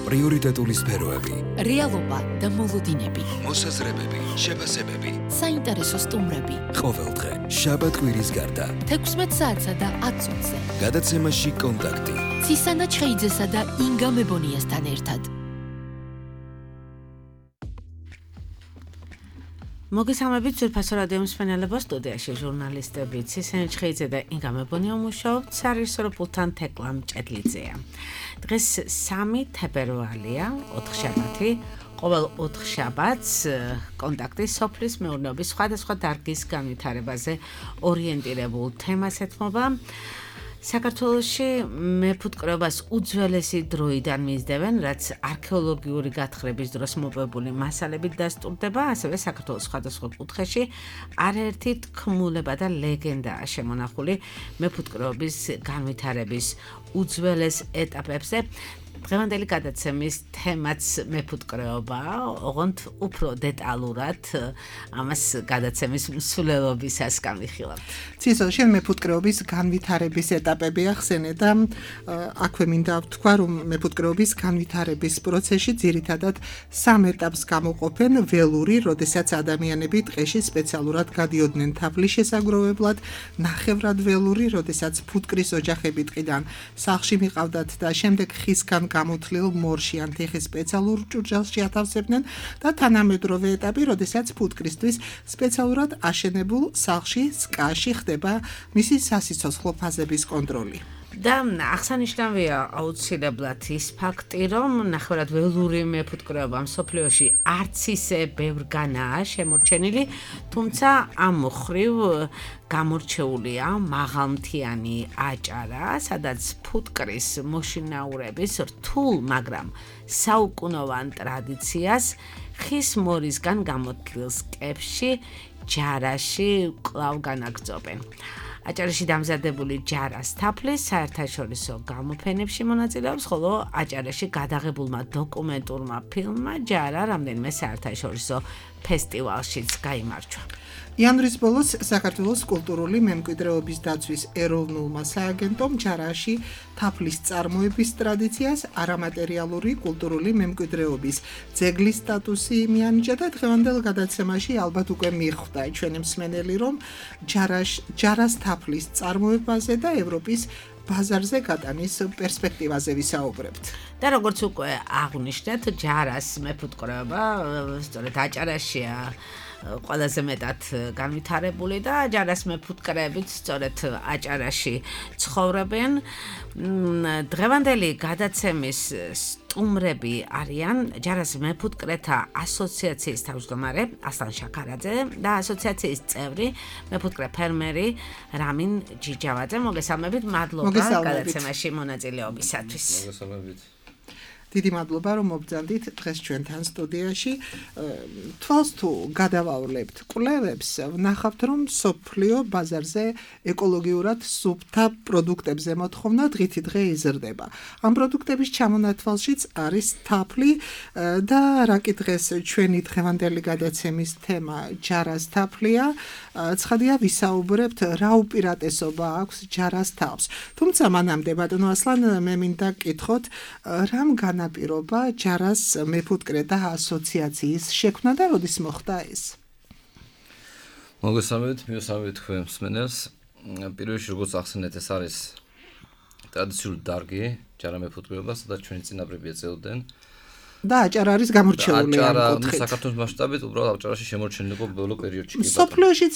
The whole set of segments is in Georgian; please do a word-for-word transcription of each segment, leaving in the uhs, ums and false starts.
პრიორიტეტული სფეროები, რეალობა და მოლოდინები, მოსაზრებები, შეფასებები, საინტერესო სტუმრები. ყოველდღე, შაბათ-კვირის გარდა, თექვსმეტ საათსა და ათ წუთზე. გადაცემაში კონტაქტი. ცისანა ჩხეიძესა და ინგა მებონიასთან ერთად. მოგესალმებით ძვირფასო რადიო მსმენელებო, სტუდიაში ჟურნალისტები ცისანა ჩხეიძე და ინგა მებონია მუშაობთ, სარეჟისორო პულტთან თეკლა მჭედლიძეა. დღეს სამი თებერვალია, ოთხშაბათი. ყოველ ოთხშაბათს კონტაქტი სოფლის მეურნეობის სხვადასხვა დარგის განვითარებაზე ორიენტირებულ თემას ეთმობა. საქართველოში მეფუტკრეობას უძველესი დროიდან მისდევენ, რაც არქეოლოგიური გათხრების დროს მოპოვებული მასალებით დასტურდება, ასევე საქართველოს სხვადასხვა კუთხეში არაერთი თქმულება და ლეგენდაა შემონახული მეფუტკრეობის განვითარების უძველეს ეტაპებზე. დღევანდელი გადაცემის თემაც მეფუტკრეობაა, ოღონდ უფრო დეტალურად ამას გადაცემის მსვლელობისას გამიხილავთ. ცისო, შენ მეფუტკრეობის განვითარების ეტაპები ახსენე და აქვე მინდა ვთქვა, რომ მეფუტკრეობის განვითარების პროცესში ძირითადად სამ ეტაპს გამოყოფენ: ველური, როდესაც ადამიანები ტყეში სპეციალურად გადიოდნენ თაფლის შესაგროვებლად, ნახევრად ველური, როდესაც ფუტკრის ოჯახები ტყიდან სახლში მიყავდათ და შემდეგ ხისგან გამოთლილ მორში ან თიხის სპეციალურ ჭურჭელში ათავსებდნენ და თანამედროვე ეტაპი, როდესაც ფუტკრისთვის სპეციალურად აშენებულ სახლში სკაში ხდება მისი სასიცოცხლო ფაზების კონტროლი. და აღსანიშნავია აუცილებლად ის ფაქტი, რომ ნახევრად ველური მეფუტკრეობა მსოფლიოში არც ისე ბევრგანაა შემორჩენილი, თუმცა ამ მხრივ გამორჩეულია მაღალმთიანი აჭარა, სადაც ფუტკრის მოშინაურების რთულ, მაგრამ საუკუნოვან ტრადიციას ხის მორისგან გამოთლილ სკეფში, ჯარაში კვლავ განაგრძობენ. აჭარაში დამზადებული ჯარას თაფლის საერთაშორისო გამოფენებში მონაწილეობს, ხოლო აჭარაში გადაღებულმა დოკუმენტურმა ფილმმა ჯარა რამდენიმე საერთაშორისო ფესტივალშიც გაიმარჯვა. იანვრის ბოლოს საქართველოს კულტურული მემკვიდრეობის დაცვის ეროვნულმა სააგენტომ ჯარაში თაფლის წარმოების ტრადიციას არამატერიალური კულტურული მემკვიდრეობის ძეგლის სტატუსი მიანიჭა და დღევანდელ გადაცემაში ალბათ უკვე მიხვდა ჩვენი მსმენელი, რომ ჯარაშ ჯარას თაფლის წარმოებაზე და ევროპის ბაზარზე გატანის პერსპექტივაზე ვისაუბრებთ. და როგორც უკვე აღვნიშნეთ, ჯარას მეფუტკრეობა სწორედ აჭარაშია ყველაზე მეტად განვითარებული და ჯარას მეფუტკრეებით სწორედ აჭარაში ცხოვრობენ. დღევანდელი გადაცემის სტუმრები არიან ჯარას მეფუტკრეთა ასოციაციის თავმჯდომარე ასლან შაქარაძე და ასოციაციის წევრი მეფუტკრე ფერმერი რამინ ჯიჯავაძე. მოგესალმებით, მადლობა გადაცემაში მონაწილეობისათვის. მოგესალმებით. დიდი მადლობა, რომ მობრძანდით დღეს ჩვენთან სტუდიაში. თვალს თუ გადავავლებთ კვლევებს, ვნახავთ, რომ სოფლიო ბაზარზე ეკოლოგიურად სუფთა პროდუქტებზე მოთხოვნა დღითი დღე იზრდება. ამ პროდუქტების ჩამონათვალშიც არის თაფლი და რაკი დღეს ჩვენი დღევანდელი გადაცემის თემა ჯარას თაფლია. ცხადია, ვისაუბრებთ რა უპირატესობა აქვს ჯარას თავს. თუმცა მანამდე ბატონო ასლან, მე მინდა გკითხოთ, რამ განაპირობა ჯარას მეფუტკრეთა ასოციაციის შექმნა და როდის მოხდა ეს? მოგესალმებით, მიესალმებით თქვენ მსმენელს. პირველში როგორც ახსენეთ, ეს არის ტრადიციული დარგი ჯარა მეფუტკრეობა, სადაც ჩვენი წინაპრები ეწეოდნენ. და აჭარა არის გამორჩეული ამ კუთხით. საქართველოს მასშტაბით უბრალოდ აჭარაში შემორჩენილი იყო ბოლო პერიოდში. სოფლიოშიც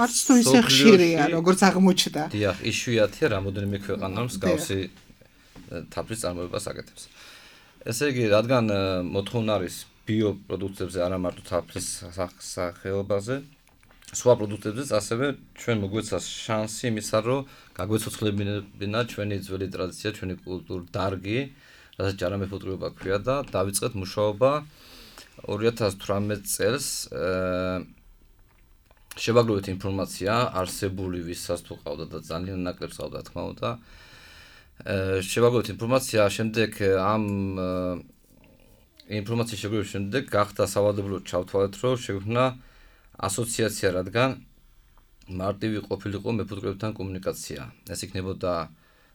არც თუ ისე ხშირია, როგორც აღმოჩნდა. დიახ, იშვიათია, რამოდენიმე ქვეყანა მსგავსი თაფლის წარმოებას აკეთებს. ესე იგი, რადგან მოთხოვნა არის ბიოპროდუქტებზე, არა მარტო თაფლის სახეობაზე, სხვა პროდუქტებზეც, ასევე ჩვენ მოგვეცა შანსი იმისა, რომ გაგვეცოცხლებინა ჩვენი ძველი ტრადიცია, ჩვენი კულტურის დარგი, რასაც ჯარა მეფუტკრეობა ქვია და დავიწყეთ მუშაობა ორი ათას თვრამეტ წელს. შევაგროვეთ ინფორმაცია არსებული, ვისაც თუ ყავდა და ძალიან ნაკლებს ყავდა, თქმა უნდა. შევაგროვეთ ინფორმაცია, შემდეგ ამ ინფორმაციის შეგროვების შემდეგ გახდა სავალდებულო ჩავთვალეთ, რომ შეგვექმნა ასოციაცია, რადგან მარტივი ყოფილიყო მეფუტკრეებთან კომუნიკაცია. ეს იქნებოდა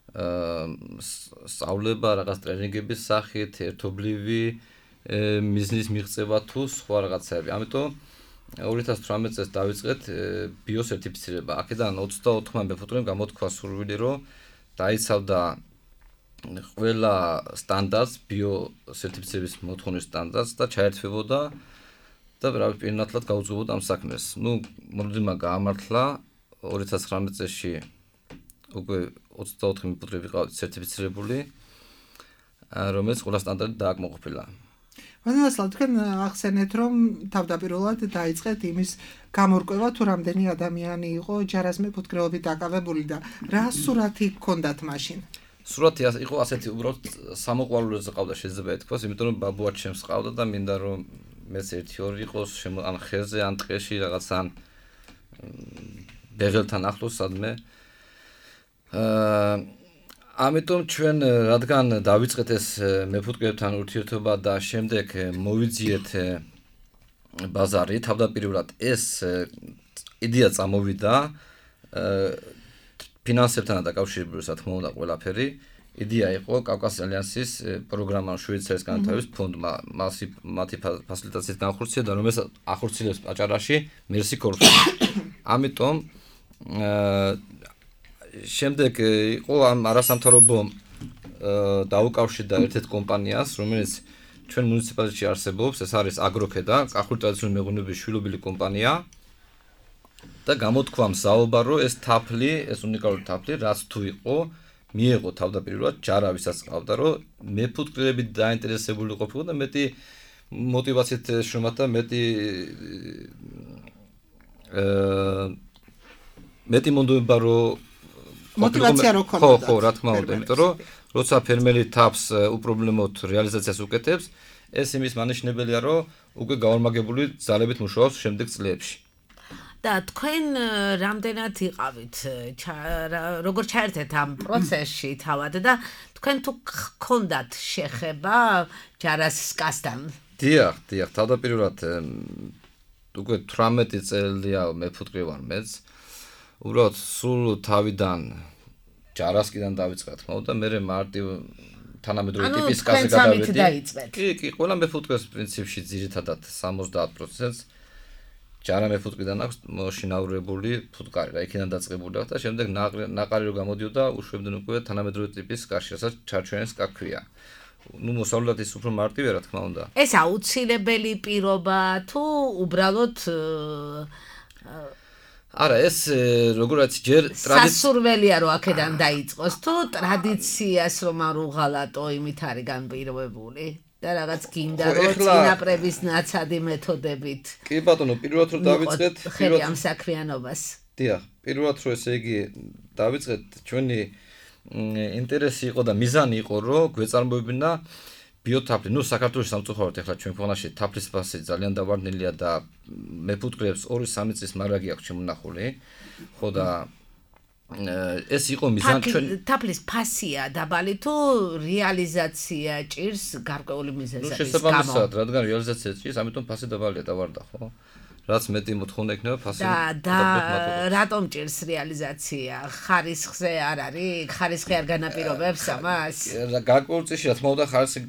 სწავლება რაღაც ტრენინგების სახით, ერთობლივი მიზნის მიღწევა თუ სხვა რაღაცები. ამიტომ ორი ათას თვრამეტ წელს დავიწყეთ ბიოსერტიფიცირება. აქედან ოცდაოთხმა მეფუტკრემ გამოთქვა სურვილი, რომ დაიცავდა ყველა სტანდარტს, ბიოსერტიფიცირების მოთხოვნის სტანდარტს და ჩაერთვებოდა და რა ვიცი, პირნათლად გაუძღვებოდა ამ საქმეს. ნუ მოლოდინმა გაამართლა ორი ათას ცხრამეტ წელში უკვე ოცდაოთხი მეფუტკრე ვიყავით სერტიფიცირებული, რომელიც ყველა სტანდარტით დააკმაყოფილა. ვანილასლავ, თქვენ ახსენეთ, რომ თავდაპირველად დაიწყეთ იმის გამორკვევა, თუ რამდენი ადამიანი იყო ჯარას მეფუტკრეობით დაკავებული და რა სურათი გქონდათ მაშინ? სურათი იყო ასეთი, უბრალოდ სამოყვარულოზე ყავდა, შეიძლება ითქვას, იმიტომ რომ ბაბუა ჩემს ყავდა და მინდა რომ მეც ერთი ორი იყოს, ან ხეზე, ან ტყეში, რაღაც ან ბეღელთან ახლოს სადმე. აა ამიტომ ჩვენ რადგან დავიწყეთ ეს მეფუტკრეებთან ურთიერთობა და შემდეგ მოვიძიეთ ბაზარი, თავდაპირველად ეს იდეა წამოვიდა ფინანსებთან დაკავშირებული, რა თქმა უნდა, ყველაფერი. იდეა იყო კავკასიის ალიანსის პროგრამა შვეიცარიის განვითარების ფონდმა, მათი ფასილიტაციით განხორციელდა და რომელსაც ახორციელებს აჭარაში მერსი კორპუსი. ამიტომ შემდეგ იყო ამ არასამთავრობო დაუკავშირდა ერთ-ერთ კომპანიას, რომელიც ჩვენ მუნიციპალიტეტში არსებობს, ეს არის აგროქედა, კახური ტრადიციული მეღვინეობის შვილობილი კომპანია და გამოთქვა მზაობა, რომ ეს თაფლი, ეს უნიკალური თაფლი, რაც თუ იყო, მიეღო თავდაპირველად ჯარა, ვისაც ყავდა, რომ მეფუტკრეებით დაინტერესებული ყოფილიყო და მეტი მოტივაციით შრომად და მეტი მეტი მონდომება, რომ მოტივაცია რო ქონდა. ხო, ხო, რა თქმა უნდა, იმიტომ რომ როცა ფერმერი თაფს უპრობლემოდ რეალიზაციას უკეთებს, ეს იმის მანიშნებელია, რომ უკვე გაორმაგებული ძალებით მუშაობს შემდეგ წლებში. და თქვენ რამდენად იყავით, როგორ ჩაერთეთ ამ პროცესში თავად და თქვენ თუ გქონდათ შეხება ჯარას სკასთან? დიახ, დიახ, თავდაპირველად უკვე თვრამეტი წელია მეფუტკრე ვარ მეც. უბრალოდ სულ თავიდან ჯარასკიდან დავიწყე, თქმა უნდა, მე მარტივ თანამედროვე ტიპის კაზე გადავედი. კი, კი, ყველა მეფუტკრეს პრინციპში ძირითადად სამოცდაათ პროცენტს ჯარა მეფუტკრიდან აქვს მოშინაურებული ფუტკარი, რა იქიდან დაწყებული აქვს და შემდეგ ნაყარი რო გამოდიოდა, უშვებდნენ უკვე თანამედროვე ტიპის კაში, რასაც ჩარჩოენს კაქვია. ნუ მოსავლად ის უფრო მარტივია, რა თქმა უნდა. ეს აუცილებელი პირობა თუ უბრალოდ არა, ეს როგორაც ჯერ სასურველია რომ აქედან დაიწყოს, თუ ტრადიციას რომ არ უღალატო, იმით არის განპირობებული და რაღაც გინდა რომ წინაპრების ნაცადი მეთოდებით. კი ბატონო, პირველად რომ დავიწყეთ, პირველად ამ საქმიანობას. დიახ, პირველად რომ ესე იგი დავიწყეთ, ჩვენი ინტერესი იყო და მიზანი იყო, რომ გვეწარმოებინა ბიოთაფლი. ნუ საქართველოს სამწუხაროდ ახლა ჩვენ ქვეყანაში თაფლის ფასი ძალიან დავარდნილია და მეფუტკრეებს ორი სამი წლის მარაგი აქვს შემონახული. ხო და ეს იყო მიზანი ჩვენ თაფლის ფასია დაბალი თუ რეალიზაცია ჭირს გარკვეული მიზეზების გამო? ნუ შესაბამისად, რადგან რეალიზაცია ჭირს, ამიტომ ფასი დაბალია, დავარდა, ხო? რაც მეტი მოთხოვნა იქნება ფასი და რატომ ჭირს რეალიზაცია? ხარისხზე არ არის? ხარისხი არ განაპირობებს ამას? გარკვეულ წესში რა თქმა უნდა ხარისხი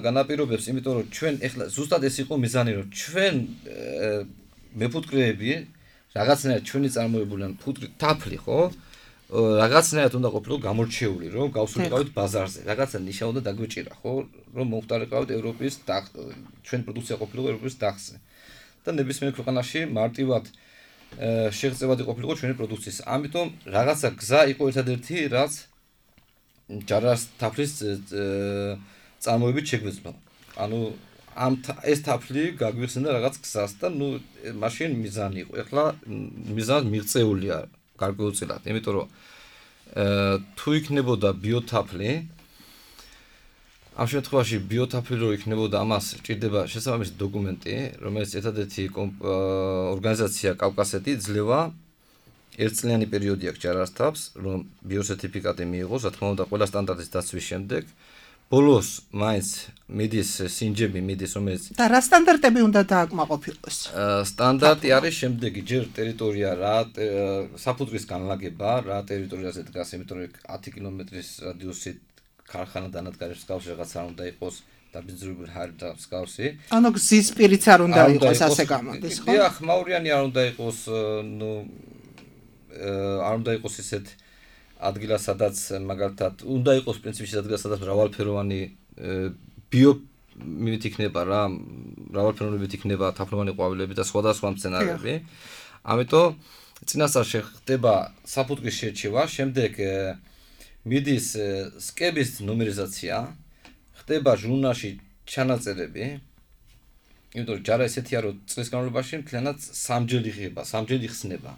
განაპირობებს, იმიტომ რომ ჩვენ ეხლა ზუსტად ეს იყო მიზანი, რომ ჩვენ მეფუტკრეები რაღაცნაირად ჩვენი წარმოებული ან ფუტკრი თაფლი, ხო? რაღაცნაირად უნდა ყოფილიყო გამორჩეული, რომ გავსულიყავით ბაზარზე. რაღაცა ნიშა უნდა დაგვეჭირა, ხო? რომ მომხდარიყავით ევროპის ჩვენ პროდუქცია ყოფილიყო ევროპის დახზე. და ნებისმიერ ქვეყანაში მარტივად შეღწევადი ყოფილიყო ჩვენი პროდუქციის. ამიტომ რაღაცა გზა იყო ერთადერთი, რაც ჯარას თაფლის წარმოებით შეგვეძლო. ანუ ამ ეს თაფლი გაგვიხსენდა რაღაც გზას და ნუ მაშინ მიზანი იყო. ეხლა მიზანი მიღწეულია გარკვეულწილად, იმიტომ რომ თუ იქნებოდა ბიოთაფლი, ამ შემთხვევაში ბიოთაფლი რო იქნებოდა, ამას ჭირდება შესაბამისი დოკუმენტი, რომელიც ერთადერთი ორგანიზაცია კავკასეთი ძლევა ერთწლიანი პერიოდი აქვს ჯარას თაფლს, რომ ბიოსერტიფიკატი მიიღოს, რა თქმა უნდა, ყველა სტანდარტის დაცვის შემდეგ, ბოლოს მაინც მიდის სინჯები მიდის რომელიც და რა სტანდარტები უნდა დააკმაყოფილოს? სტანდარტი არის შემდეგი ჯერ ტერიტორია რა საფუძვლის განლაგება რა ტერიტორიაზე დგას იმიტომ რომ ათი კილომეტრის რადიუსით ქარხანა დანადგარებს გავს რაღაც არ უნდა იყოს დაბინძურებული ჰარი და მსგავსი. ანუ გზის პირიც არ უნდა იყოს ასე გამოდის, ხო? დიახ, მაურიანი არ უნდა იყოს, ნუ არ უნდა იყოს ისეთ ადგილა, სადაც მაგალითად უნდა იყოს პრინციპში ადგილა, სადაც მრავალფეროვანი ბიო მივით იქნება რა, მრავალფეროვნებით იქნება თაფლოვანი ყვავილები და სხვადასხვა მცენარეები. ამიტომ წინასწარ შეხდება საფუძვლის შერჩევა, შემდეგ მიდის სკების ნუმერიზაცია, ხდება ჟურნალში ჩანაწერები. იმიტომ რომ ჯარა ესეთია რომ წლის განმავლობაში მთლიანად სამჯერ იღება, სამჯერ იხსნება.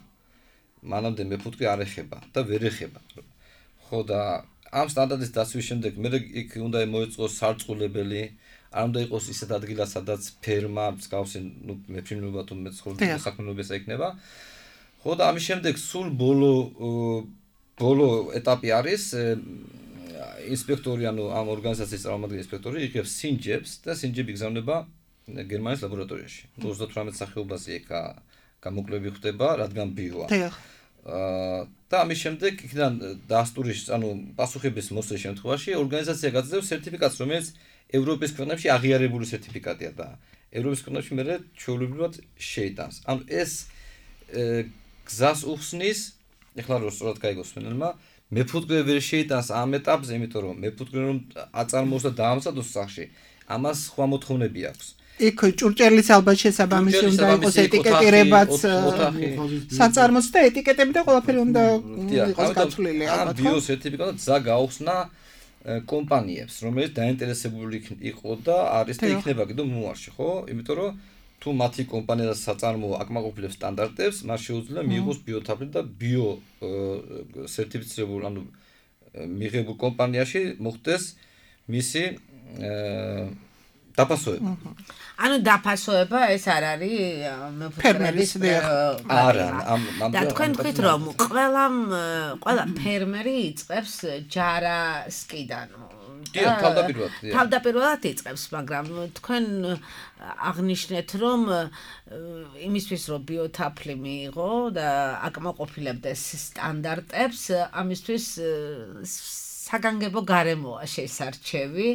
მანამდე მეფუტკრი არ ეხება და ვერ ეხება. ხო და ამ სტანდარტის დასვის შემდეგ მე იქ უნდა მოეწყოს სარწყულებელი, არ უნდა იყოს ისეთ ადგილას, სადაც ფერმა, მსგავსი, ნუ მეფრინობა თუ მეცხოველთა საქმიანობას ეკნება. ხო და ამის შემდეგ სულ ბოლო ბოლო ეტაპი არის ინსპექტორი, ანუ ამ ორგანიზაციის წარმომადგენელი ინსპექტორი იღებს სინჯებს და სინჯები იგზავნება გერმანიის ლაბორატორიაში. ოცდათვრამეტ სახეობაზე ეკა გამოკვლევები ხდება, რადგან ბიოა. აა და ამის შემდეგ იქიდან დაასტურის, ანუ პასუხების მოსვლის შემთხვევაში ორგანიზაცია გაძლევს სერტიფიკატს, რომელიც ევროპის ქვეყნებში აღიარებული სერტიფიკატია და ევროპის ქვეყნებში მერე ჩვეულებრივად შეიტანს. ანუ ეს გზას უხსნის, ეხლა რო სწორად გაიგოს მენელმა, მეფუტკრე ვერ შეიტანს ამ ეტაპზე, იმიტომ რომ მეფუტკრე რომ აწარმოოს და დაამზადოს სახში, ამას სხვა მოთხოვნები აქვს. იქ ჭურჭელის ალბათ შესაბამისი უნდა იყოს ეტიკეტირებაც საწარმოს და ეტიკეტები და ყველაფერი უნდა იყოს გაცვლილი ალბათ. ამ ბიო სერტიფიკატი გზა გაუხსნა კომპანიებს, რომელიც დაინტერესებული იყო და არის და იქნება კიდევ მოარში, ხო? იმიტომ რომ თუ მათი კომპანია და საწარმო აკმაყოფილებს სტანდარტებს, მას შეუძლია მიიღოს ბიოთაფლი და ბიო სერტიფიცირებულ, ანუ მიღებულ კომპანიაში მოხდეს მისი დაფასოება. ანუ დაფასოება ეს არ არის ფერმერის არა, და თქვენ თქვით რომ ყველა ყველა ფერმერი იწყებს ჯარასკიდან. თავდაპირველად. თავდაპირველად იწყებს, მაგრამ თქვენ აღნიშნეთ რომ იმისთვის რომ ბიოთაფლი მიიღო და აკმაყოფილებდეს სტანდარტებს, ამისთვის საგანგებო გარემოა შესარჩევი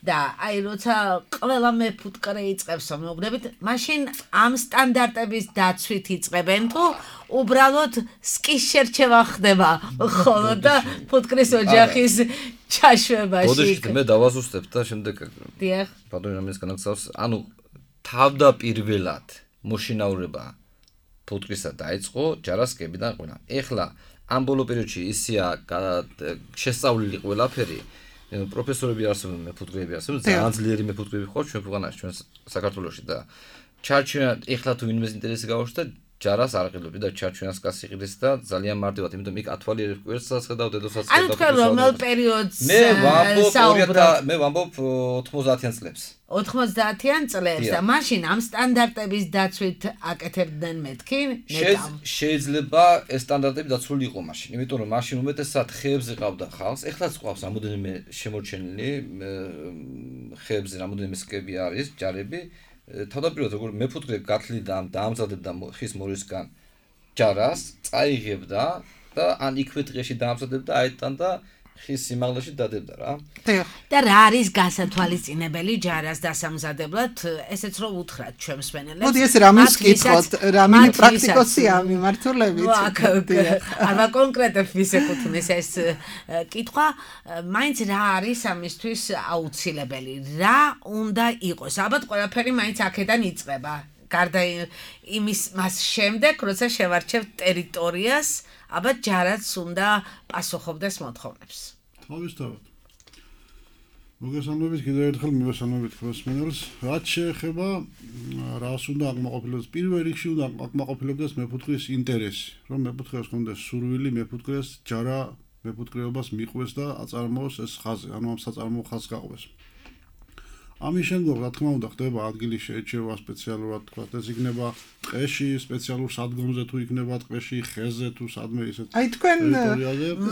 და აი როცა ყველა მეფუტკრე იწყებს მეუბნებით, მაშინ ამ სტანდარტების დაცვით იწყებენ თუ უბრალოდ სკის შერჩევა ხდება ხოლო და ფუტკრის ოჯახის ჩაშვებაში. ბოდიშით მე დავაზუსტებ და შემდეგ დიახ. ბატონი რამეს განაგზავს, ანუ თავდაპირველად მოშინაურება ფუტკრისა დაიწყო ჯარასკებიდან ყველა. ეხლა ამ ბოლო პერიოდში ისია შესწავლილი ყველაფერი, პროფესორები არსებობენ, მეფუტკრეები არსებობენ, ძალიან ძლიერი მეფუტკრეები ხო ჩვენ ქვეყანაში, ჩვენ საქართველოში და ჩარჩენა ეხლა თუ ვინმეს ინტერესი გავაჩნდა, ჯარას არ ყიდობდი და ჩარჩენას კაც იყიდეს და ძალიან მარტივად, იმიტომ იქ ათვალიერებ კვერცხსაც ხედავ, დედოსაც ხედავ. ანუ თქვენ რომელ პერიოდს მე ვამბობ მე ვამბობ ოთხმოცდაათიან წლებს. ოთხმოცდაათიან წლებს და მაშინ ამ სტანდარტების დაცვით აკეთებდნენ მეთქი ნეტამ. შეიძლება ეს სტანდარტები დაცული იყო მაშინ, იმიტომ რომ მაშინ უმეტესად ხეებზე ყავდა ხალხს, ეხლაც ყავს რამოდენიმე შემორჩენილი ხეებზე რამოდენიმე სკები არის, ჯარები. თავდაპირველად როგორ მეფუტკრე გათლიდა დაამზადებდა ხის მორისგან ჯარას, წაიღებდა და ან იქვე დღეში დაამზადებდა, აიტანდა ხის სიმაღლეში დადებდა რა. და რა არის გასათვალისწინებელი ჯარას დასამზადებლად, ესეც რო უთხრათ ჩვენ მსმენელებს. მოდი ეს რამის კითხოთ, რამი პრაქტიკოსია მიმართულებით. არა კონკრეტულად ვისეკუთვნის ეს კითხვა, მაინც რა არის ამისთვის აუცილებელი, რა უნდა იყოს. ალბათ ყველაფერი მაინც აქედან იწყება. გარდა იმის მას შემდეგ, როცა შევარჩევთ ტერიტორიას, ალბათ ჯარაც უნდა პასუხობდეს მოთხოვნებს. თავისთავად. მოგესალმებით კიდევ ერთხელ მივესალმებით მსმენელს. რაც შეეხება რას უნდა აკმაყოფილოს, პირველ რიგში უნდა აკმაყოფილოს მეფუტკრის ინტერესი, რომ მეფუტკრეს ჰქონდეს სურვილი, მეფუტკრეს ჯარა მეფუტკრეობას მიყვეს და აწარმოოს ეს ხაზი, ანუ ამ საწარმოო ხაზს გაყვეს. ამის შემდგომ რა თქმა უნდა ხდება ადგილის შეჭრება სპეციალურად თქვა ეს იქნება ტყეში სპეციალურ სადგომზე თუ იქნება ტყეში ხეზე თუ სადმე ისეთ აი თქვენ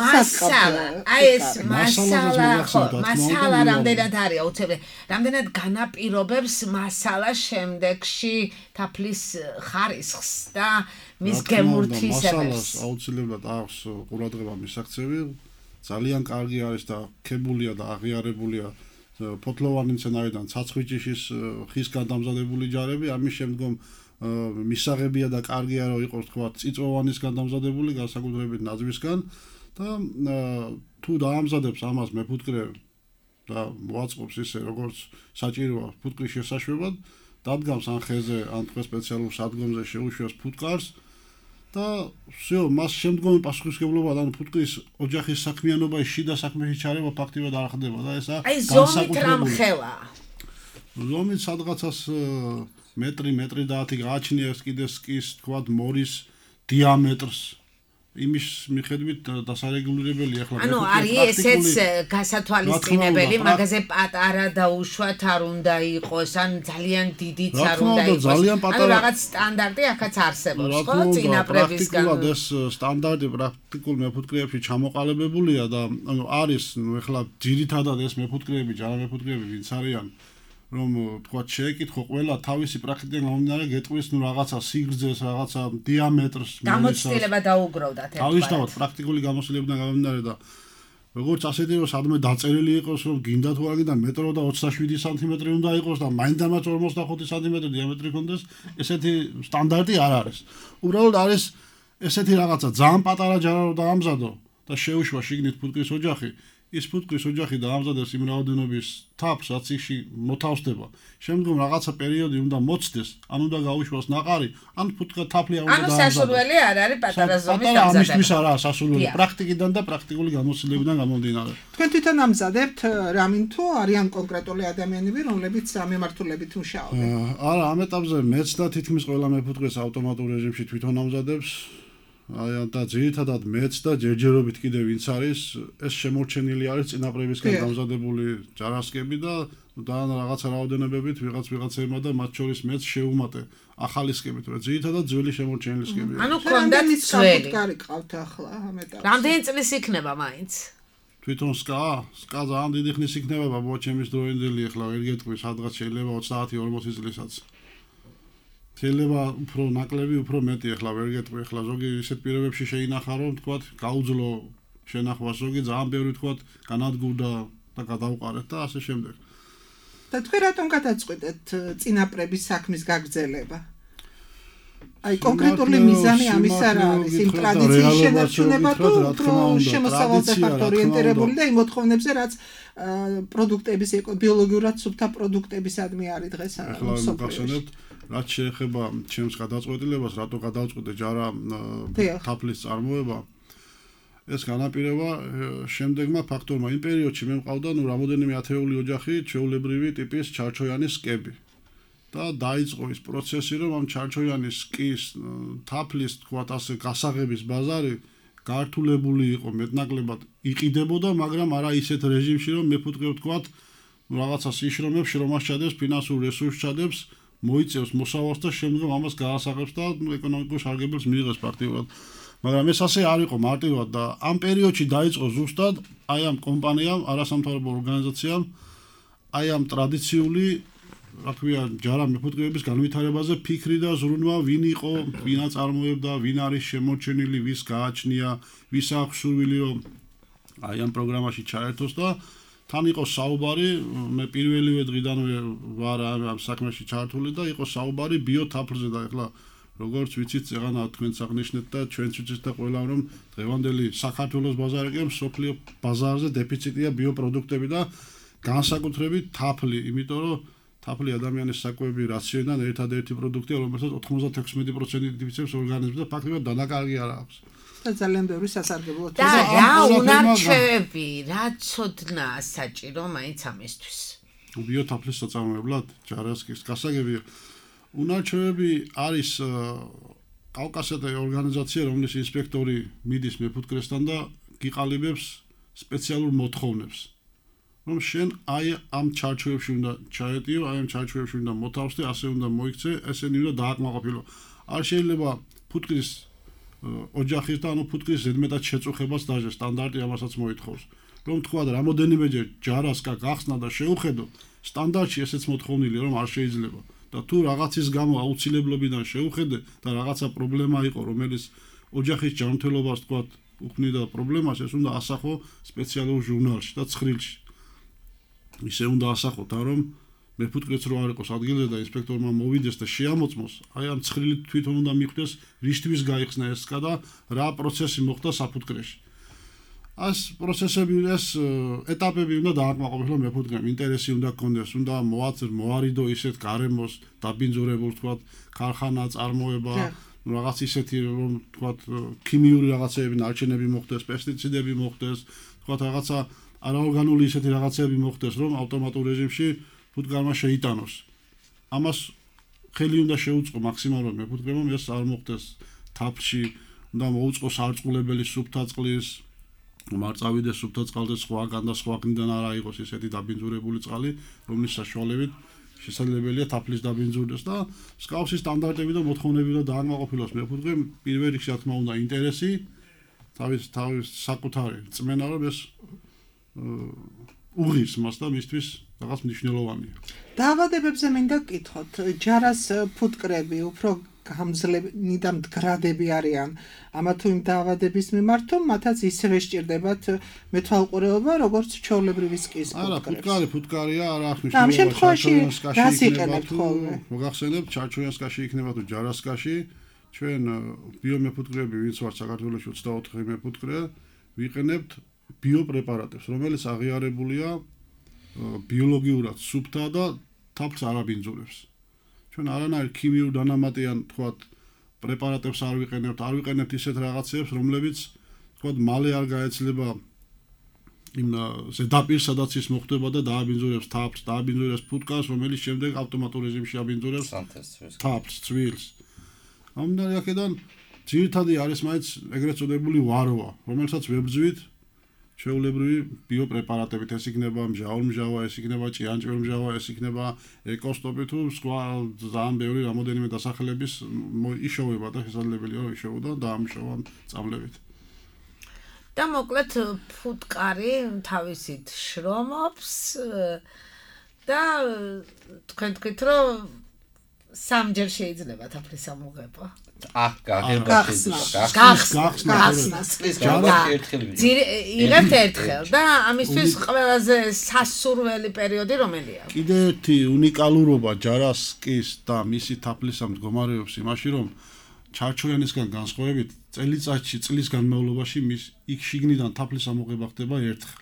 მასალა აი ეს მასალა ხო მასალა რამდენად არის აუცილებელი რამდენად განაპირობებს მასალა შემდეგში თაფლის ხარისხს და მის გემურთისებას მასალას აუცილებლად აქვს ყურადღება მისაქცევი ძალიან კარგი არის და ქებულია და აღიარებულია ფოთლოვანი მცენარედან ცაცხვიჭიშის ხისგან დამზადებული ჯარები ამის შემდგომ მისაღებია და კარგია რომ იყოს თქვა წიწვოვანისგან დამზადებული განსაკუთრებით ნაძვისგან და თუ დაამზადებს ამას მეფუტკრე და მოაწყობს ისე როგორც საჭიროა ფუტკრის შესაშვებად დადგამს ან ხეზე ან თქვა სპეციალურ სადგომზე შეუშვას ფუტკარს და всё მას შემდგომი პასუხისმგებლობა და ფუტკრის ოჯახის საქმიანობაში შიდა საქმეში ჩარევა ფაქტიურად არ ხდება და ესა აი ზომით რამ ხელა ზომით სადღაცას მეტრი მეტრი და ათი გააჩნია ეს კიდე სკის თქვა მორის დიამეტრს იმის მიხედვით დასარეგულირებელი ახლა ანუ არის ესეც გასათვალისწინებელი მაგაზე პატარა და უშუალოდ არ უნდა იყოს ან ძალიან დიდიც არ უნდა იყოს ანუ რაღაც სტანდარტი ახაც არსებობს ხო წინაპრებისგან პრაქტიკულად ეს სტანდარტი პრაქტიკულ მეფუტკრეებში ჩამოყალიბებულია და ანუ არის ნუ ახლა ძირითადად ეს მეფუტკრეები ჯარამეფუტკრეები ვინც არიან რომ თქვა შეეკითხო ყველა თავისი პრაქტიკიდან გამომდინარე გეტყვის ნუ რაღაცა სიგრძეს რაღაცა დიამეტრს გამოცდილება დაუგროვდათ ერთგვარად თავისთავად პრაქტიკული გამოცდილებიდან გამომდინარე და როგორც ასეთი რომ სადმე დაწერილი იყოს რომ გინდა თუ არ გინდა მეტრო და ოცდაშვიდი სანტიმეტრი უნდა იყოს და მაინდამაც ორმოცდახუთი სანტიმეტრი დიამეტრი ქონდეს ესეთი სტანდარტი არ არის უბრალოდ არის ესეთი რაღაცა ძალიან პატარა ჯარა რომ დაამზადო და შეუშვა შიგნით ფუტკრის ოჯახი ის ფუტკრის ოჯახი დაამზადებს იმ რაოდენობის თაფლს რაც ისში მოთავსდება შემდგომ რაღაცა პერიოდი უნდა მოცდეს ან უნდა გაუშვას ნაყარი ან ფუტკა თაფლი არ უნდა დაამზადოს ანუ სასურველი არ არის პატარა ზომის დამზადება ამისთვის არაა სასურველი პრაქტიკიდან და პრაქტიკული გამოცდილებიდან გამომდინარე თქვენ თვითონ ამზადებთ რამინ თუ არიან კონკრეტული ადამიანები რომლებიც ამემართულებით მუშაობენ არა ამ ეტაპზე მეც და თითქმის ყველა მეფუტკრეს ავტომატურ რეჟიმში თვითონ ამზადებს აი და ძირითადად მეც და ჯერჯერობით კიდე ვინც არის ეს შემორჩენილი არის წინაპრებისგან დამზადებული ჯარასკები და და რაღაცა რაოდენობებით ვიღაც ვიღაცებმა და მათ შორის მეც შეუმატე ახალი სკებით რა ძირითადად ძველი შემორჩენილი სკებია ანუ კონდათ ძველი კარი ყავთ ახლა ამ ეტაპზე რამდენი წლის იქნება მაინც თვითონ სკა სკა ძალიან დიდი ხნის იქნება ბაბუა ჩემის დროინდელი ახლა ვერ გეტყვი სადღაც შეიძლება ოცდაათი ორმოცი წლისაც შეიძლება უფრო ნაკლები, უფრო მეტი ახლა ვერ გეტყვი, ახლა ზოგი ისეთ პირობებში შეინახა რომ თქვა გაუძლო შენახვას ზოგი ძალიან ბევრი თქვა განადგურდა და გადაუყარეთ და ასე შემდეგ. და თქვენ რატომ გადაწყვეტეთ წინაპრების საქმის გაგრძელება? აი კონკრეტული მიზანი ამის არ არის, იმ ტრადიციის შენარჩუნება თუ უფრო შემოსავალდებათ ორიენტირებული და იმ მოთხოვნებზე რაც პროდუქტების ბიოლოგიურად სუფთა პროდუქტებისადმი არის დღეს მოსოფლეში. რაც შეეხება ჩემს გადაწყვეტილებას, რატო გადავწყვეტე ჯარა თაფლის წარმოება, ეს განაპირობა შემდეგმა ფაქტორმა. იმ პერიოდში მე მყავდა ნუ რამოდენიმე ათეული ოჯახი ჩვეულებრივი ტიპის ჩარჩოяnis სკები. და დაიწყო ის პროცესი, რომ ამ ჩარჩოяnis სკის თაფლის, თქვათ ასე, გასაღების ბაზარი გართულებული იყო მეტნაკლებად იყიდებოდა, მაგრამ არა ისეთ რეჟიმში, რომ მეფუტკრე ვთქვათ, რაღაცა სიშრომებს, შრომას ჩადებს, ფინანსურ რესურსს ჩადებს მოიწევს მოსავალს და შემდგომ ამას გაასაღებს და ეკონომიკურ სარგებელს მიიღებს ფაქტიურად. მაგრამ ეს ასე არ იყო მარტივად და ამ პერიოდში დაიწყო ზუსტად აი ამ კომპანიამ, არასამთავრობო ორგანიზაციამ, აი ამ ტრადიციული, რა ქვია, ჯარა მეფუტკრეების განვითარებაზე ფიქრი და ზრუნვა, ვინ იყო, ვინ აწარმოებდა, ვინ არის შემორჩენილი, ვის გააჩნია, ვის აქვს სურვილი, რომ აი ამ პროგრამაში ჩაერთოს და თან იყო საუბარი, მე პირველივე დღიდანვე ვარ ამ საქმეში ჩართული და იყო საუბარი ბიოთაფლზე და ახლა როგორც ვიცით, წეღანა თქვენც აღნიშნეთ და ჩვენც ვიცით და ყველამ რომ დღევანდელი საქართველოს ბაზარი კი მსოფლიო ბაზარზე დეფიციტია ბიოპროდუქტები და განსაკუთრებით თაფლი, იმიტომ რომ თაფლი ადამიანის საკვები რაციონიდან ერთადერთი პროდუქტია, რომელსაც ოცდაექვსი პროცენტი იდიფიცებს ორგანიზმს და ფაქტობრივად დანაკარგი არ აქვს. და ძალიან ბევრი სასარგებლო და რა უნარჩვევები, რა ცოდნა საჭირო მაინც ამისთვის. ბიოთაფლის საწარმოებლად ჯარასკის გასაგებია. უნარჩვევები არის კავკასიათი ორგანიზაცია, რომლის ინსპექტორი მიდის მეფუტკრესთან და გიყალიბებს სპეციალურ მოთხოვნებს. რომ შენ აი ამ ჩარჩოებში უნდა ჩაეტიო, აი ამ ჩარჩოებში უნდა მოთავსდე, ასე უნდა მოიქცე, ესენი უნდა დააკმაყოფილო. არ შეიძლება ფუტკრის ოჯახის და ანუ ფუტკრის ზედმეტად შეწუხებას დაჟე, სტანდარტი ამასაც მოითხოვს. რომ თქვა და რამოდენიმეჯერ ჯარასკა გახსნა და შეუხედო, სტანდარტში ესეც მოთხოვნილია, რომ არ შეიძლება. და თუ რაღაცის გამო აუცილებლობიდან შეუხედე და რაღაცა პრობლემა იყო, რომელიც ოჯახის ჯანმრთელობას თქვა უქმნიდა პრობლემას, ეს უნდა ასახო სპეციალურ ჟურნალში და ცხრილში. ისე უნდა ასახოთ, რომ მეფუტკრეც რო არ იყოს ადგილზე და ინსპექტორმა მოვიდეს და შეამოწმოს, აი ამ ცხრილით თვითონ უნდა მიხვდეს რისთვის გაიხსნა ეს სკა და რა პროცესი მოხდა საფუტკრეში. ას პროცესები ეს ეტაპები უნდა დააკმაყოფილოს მეფუტკრემ, ინტერესი უნდა გქონდეს, უნდა მოარიდო ისეთ გარემოს დაბინძურებულ თქვა ქარხანა წარმოება, რაღაც ისეთი რომ თქვა ქიმიური რაღაცეები, ნარჩენები მოხდეს, პესტიციდები მოხდეს, თქვა რაღაცა არაორგანული ისეთი რაღაცეები მოხდეს, რომ ავტომატურ რეჟიმში ფუტკარმა შეიტანოს. ამას ხელი უნდა შეუწყო მაქსიმალურად მეფუტკრემ, ეს არ მოხდეს თაფლში, უნდა მოუწყოს არწყულებელი სუფთა წყლის, არ წავიდეს სუფთა წყალზე სხვაგან და სხვაგნიდან არა იყოს ისეთი დაბინძურებული წყალი, რომლის საშუალებით შესაძლებელია თაფლის დაბინძურდეს და მსგავსი სტანდარტები და მოთხოვნები უნდა დააკმაყოფილოს მეფუტკრემ, პირველ რიგში რა თქმა უნდა ინტერესი, თავის თავის საკუთარი წმენა, რომ ეს უღირს მას და მისთვის რაღაც მნიშვნელოვანია. დაავადებებზე მინდა გკითხოთ, ჯარას ფუტკრები უფრო გამძლენი და მდგრადები არიან ამა თუ იმ დაავადების მიმართ, თუ მათაც ისევე სჭირდებათ მეთვალყურეობა, როგორც ჩვეულებრივი სკის ფუტკრებს. არა, ფუტკარი ფუტკარია, არა აღნიშნულობა. ამ შემთხვევაში რას იყენებთ ხოლმე? მოგახსენებთ, ჩარჩოიანსკაში იქნება თუ ჯარასკაში, ჩვენ ბიომეფუტკრები, ვინც ვართ საქართველოში ოცდაოთხი მეფუტკრე, ვიყენებთ ბიოპრეპარატებს, რომელიც აღიარებულია ბიოლოგიურად სუფთა და თაფლს არ აბინძურებს. ჩვენ არანაირ ქიმიურ დანამატიან თქვათ პრეპარატებს არ ვიყენებთ, არ ვიყენებთ ისეთ რაღაცებს, რომლებიც თქვათ მალე არ გაეცლება იმ ზედაპირს, სადაც ის მოხდება და დააბინძურებს თაფლს, დააბინძურებს ფუტკარს, რომელიც შემდეგ ავტომატურ რეჟიმში აბინძურებს თაფლს, ცვილს. ამიტომ აქედან ძირითადი არის მაინც ეგრეთ წოდებული ვაროა, რომელსაც ვებრძვით ჩვეულებრივი ბიოპრეპარატებით, ეს იქნება მჟავრმჟავა, ეს იქნება ჭიანჭველმჟავა, ეს იქნება ეკოსტოპი თუ სხვა ძალიან ბევრი რამოდენიმე დასახელების იშოვება და შესაძლებელია რომ იშოვოდა დაამუშავა წავლებით. და მოკლედ ფუტკარი თავისით შრომობს და თქვენ თქვით რომ სამჯერ შეიძლება თაფლის ამოღება. აჰ, გაგება შეიძლება. გახსნას. იღებთ ერთხელ და ამისთვის ყველაზე სასურველი პერიოდი რომელია? კიდე ერთი უნიკალურობა ჯარასკის და მისი თაფლის მდგომარეობის იმაში, რომ ჩარჩოიანისგან განსხვავებით წელიწადში წლის განმავლობაში მის იქ შიგნიდან თაფლის ამოღება ხდება ერთხელ.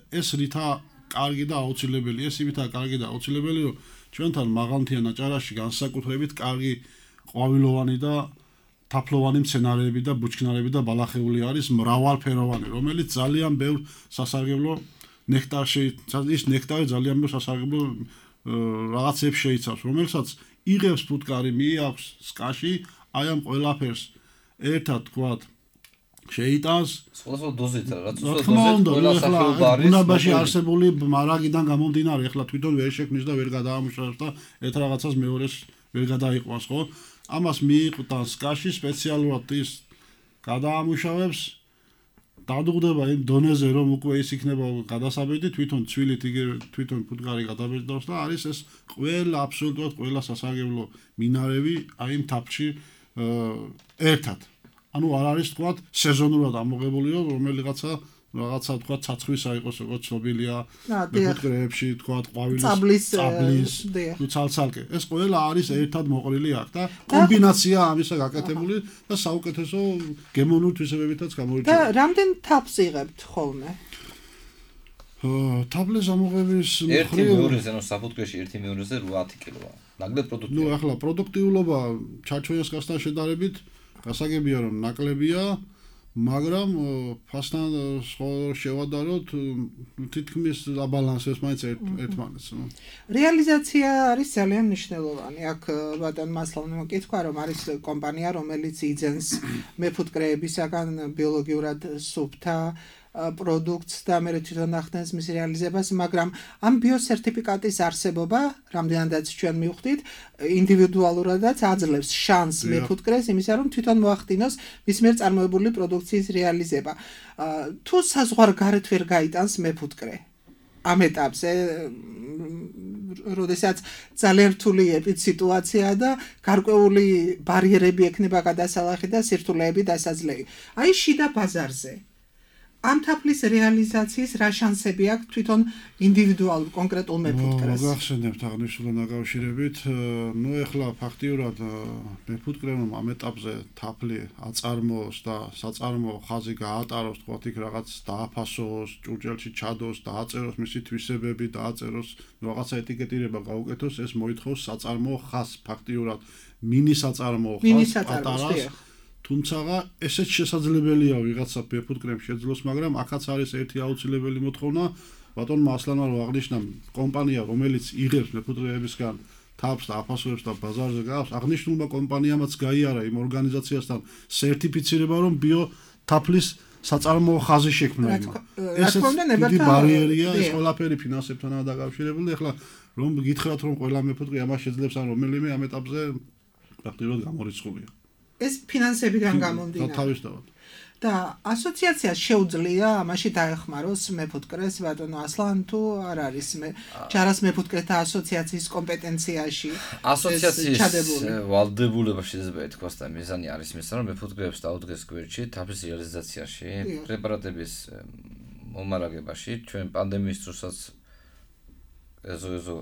ეს რითა კარგი და აუცილებელი, ეს იმითაა კარგი და აუცილებელი, რომ ჩვენთან მაღალმთიან აჭარაში განსაკუთრებით კარგი ყვავილოვანი და თაფლოვანი მცენარეები და ბუჩქნარები და ბალახეული არის მრავალფეროვანი, რომელიც ძალიან ბევრ სასარგებლო ნექტარში, ის ნექტარი ძალიან ბევრ სასარგებლო რაღაცებს შეიცავს, რომელსაც იღებს ფუტკარი, მიაქვს სკაში, აი ამ ყველაფერს ერთად თქვათ შეიტანს სხვადასხვა დოზით რა, რაც უბრალოდ ყველა სახეობა არის. ბუნებაში არსებული მარაგიდან გამომდინარე, ახლა თვითონ ვერ შექმნის და ვერ გადაამუშავებს და ერთ რაღაცას მეორეს ვერ გადაიყვანს, ხო? ამას მიიყვანს სკაში სპეციალურად ის გადაამუშავებს, დადუღდება იმ დონეზე, რომ უკვე ის იქნება გადასაბეჭდი, თვითონ ცვილით იგივე თვითონ ფუტკარი გადაბეჭდავს და არის ეს ყველა აბსოლუტურად ყველა სასარგებლო მინარევი აი იმ თაფლში ერთად. ანუ არ არის თქვათ სეზონურად ამოღებული, რომელიღაცა რაღაცა თქვათ ცაცხვისა იყოს, როგორც ცნობილია მეფუტკრეებში, თქვათ ყვავილის წაბლის, თუ ცალცალკე. ეს ყველა არის ერთად მოყრილი აქ და კომბინაცია ამისა გაკეთებული და საუკეთესო გემოვნური თვისებებითაც გამორჩეულია. და რამდენ თაფლს იღებთ ხოლმე? თაფლის ამოღების ერთი მეორეზე, ანუ საფუტკრეში ერთი მეორეზე ათი კილოა. ნაკლებ პროდუქტია. ნუ ახლა პროდუქტიულობა ჩარჩოიანსკასთან შედარებით გასაგებია რომ ნაკლებია, მაგრამ ფასთან შევადაროთ თითქმის აბალანსებს მაინც ერთმანეთს. რეალიზაცია არის ძალიან მნიშვნელოვანი. აქ ბატონ მასლოვმა მოკითხა რომ არის კომპანია, რომელიც იძენს მეფუტკრეებისაგან ბიოლოგიურად სუფთა პროდუქტს და მე თვითონ ახდენს მის რეალიზებას, მაგრამ ამ ბიოსერტიფიკატის არსებობა, რამდენადაც ჩვენ მივხვდით, ინდივიდუალურადაც აძლევს შანსს მეფუტკრეს იმისა, რომ თვითონ მოახდინოს მის მიერ წარმოებული პროდუქციის რეალიზება. თუ საზღვარგარეთ ვერ გაიტანს მეფუტკრე ამ ეტაპზე, როდესაც ძალიან რთული ეპიდსიტუაციაა და გარკვეული ბარიერები ექნება გადასალახი და სირთულეები დასაძლევი. აი შიდა ბაზარზე ამ თაფლის რეალიზაციის რა შანსები აქვს თვითონ ინდივიდუალურ კონკრეტულ მეფუტკრეს? გახსენებთ აღნიშნულთან დაკავშირებით, ნუ ეხლა ფაქტიურად მეფუტკრემ ამ ეტაპზე თაფლი აწარმოოს და საწარმოო ხაზი გაატაროს, თქვათ იქ რაღაც დააფასოს, ჭურჭელში ჩადოს, დააწეროს მისი თვისებები, დააწეროს, რაღაცა ეტიკეტირება გაუკეთოს, ეს მოითხოვს საწარმოო ხაზს, ფაქტიურად მინი საწარმოო ხაზს ატაროს. თუმცა ესეც შესაძლებელია ვიღაცა მეფუტკრემ შეძლოს, მაგრამ აქაც არის ერთი აუცილებელი მოთხოვნა, ბატონმა ასლანმა რომ აღნიშნა კომპანია, რომელიც იღებს მეფუტკრეებისგან თაფლს და აფასოებს და ბაზარზე გააქვს, აღნიშნულმა კომპანიამაც გაიარა იმ ორგანიზაციასთან სერტიფიცირება, რომ ბიო თაფლის საწარმოო ხაზი შექმნა იმა. ესეც დიდი ბარიერია, ეს ყველაფერი ფინანსებთანაა დაკავშირებული. ეხლა რომ გითხრათ, რომ ყველა მეფუტკრე ამას შეძლებს ან რომელიმე ამ ეტაპზე ფაქტიურად გამორიცხულია. ეს ფინანსებიდან გამომდინარე. თავისთავად. და ასოციაციას შეუძლია ამაში დაეხმაროს მეფუტკრეს, ბატონო ასლან, თუ არ არის მე ჯარას მეფუტკრეთა ასოციაციის კომპეტენციაში ასოციაციის ვალდებულება შეიძლება ითქვას და მიზანი არის მის რომ მეფუტკრეებს დაუდგეს გვერდში თაფლის რეალიზაციაში, პრეპარატების მომარაგებაში, ჩვენ პანდემიის დროსაც ეზო ეზო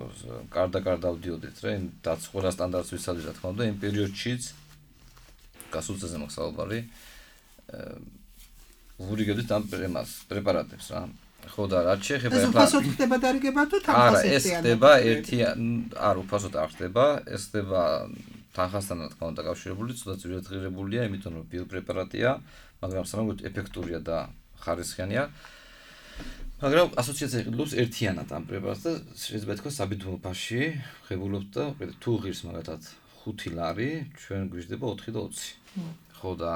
კარდა-კარდა ავდიოდით რა, იმ დაცყველა სტანდარტს ვიცავდი რა თქმა უნდა, იმ პერიოდშიც გასულწეზე მოგსაუბარი ვურიგებდით ამ პრეპარატებს რა. ხო და რაც შეეხება ახლა ეს უფასოდ ხდება დარიგება თუ თანხასთან? არა, ეს ხდება ერთი არ უფასოდ არ ხდება, ეს ხდება თანხასთან რა თქმა უნდა დაკავშირებული, ცოტა ძვირადღირებულია, იმიტომ რომ ბიოპრეპარატია, მაგრამ სამაგოდ ეფექტურია და ხარისხიანია. მაგრამ ასოციაცია ყიდულობს ერთიანად ამ პრეპარატს და შეიძლება ითქვას საბედნო ფასში ღებულობთ და თუ ღირს მაგათად ხუთი ლარი, ჩვენ გვიждდება ოთხი და ოცი. ხო და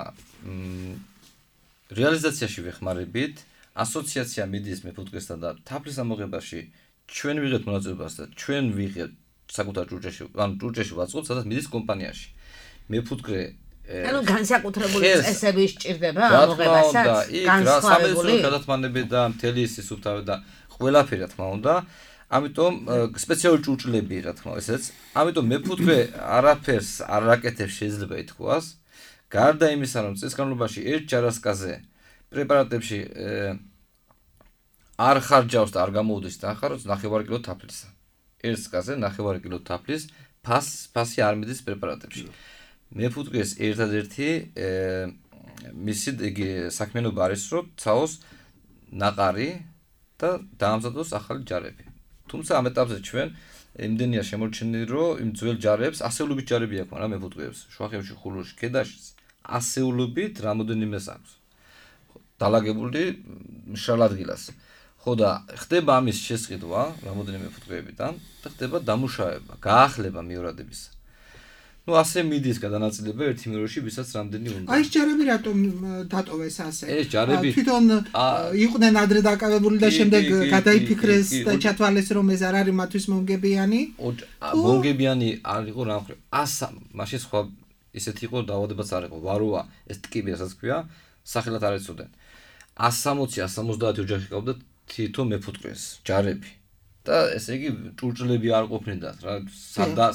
რეალიზაციაში ვეხმარებით, ასოციაცია მიდის მეფუტკრესთან და თაფლის ამოღებაში ჩვენ ვიღებთ მონაწილეობას და ჩვენ ვიღებთ საკუთარ ჭურჭელში, ანუ ჭურჭელში ვაწყობთ, სადაც მიდის კომპანიაში. მეფუტკრე ანუ განსაკუთრებული წესები სჭირდება ამოღებასაც, განსხვავებული გადათმანები და მთელი ის სუფთავი და ყველაფერი რა თქმა უნდა. ამიტომ სპეციალური ჭურჭლები რა თქმა უნდა, ესეც. ამიტომ მეფუტკრე არაფერს არ აკეთებს შეიძლება ითქვას. გარდა იმისა, რომ წლის განმავლობაში ერთ ჯარასკაზე პრეპარატებში არ ხარჯავს და არ გამოუდის თანხაროს ნახევარი კილო თაფლისა. ერთ სკაზე ნახევარი კილო თაფლის ფას ფასი არ მიდის პრეპარატებში. მეფუტკრეს ერთადერთი მისი იგი საქმიანობა არის, რომ ცაოს ნაყარი და დაამზადოს ახალი ჯარები. თუმცა ამ ეტაპზე ჩვენ იმდენია შემორჩენილი, რომ იმ ძველ ჯარებს ასეულობით ჯარები აქვს რა მეფუტკრეებს, შუახევში, ხულოში, ქედაშიც ასეულობით რამოდენიმეს აქვს. დალაგებული მშრალ ადგილას. ხო და ხდება ამის შესყიდვა რამოდენიმე მეფუტკრეებიდან და ხდება დამუშავება, გაახლება მიორადებისა. ნუ ასე მიდის გადანაწილება ერთი მეორეში, ვისაც რამდენი უნდა. აი ეს ჯარები რატომ დატოვეს ასე? ეს ჯარები თვითონ იყვნენ ადრე დაკავებული და შემდეგ გადაიფიქრეს და ჩათვალეს რომ ეს არ არის მათთვის მომგებიანი? მომგებიანი არ იყო რა მხრივ. ასა მაშინ სხვა ისეთი იყო დაავადებაც არ იყო. ვაროა ეს ტკიპი რასაც ქვია, სახელად არ ეცოდნენ. ას სამოცი ას სამოცდაათი ოჯახი ყავდა თითო მეფუტკრეს, ჯარები. და ესე იგი ჭურჭლები არ ყოფნიდათ რა,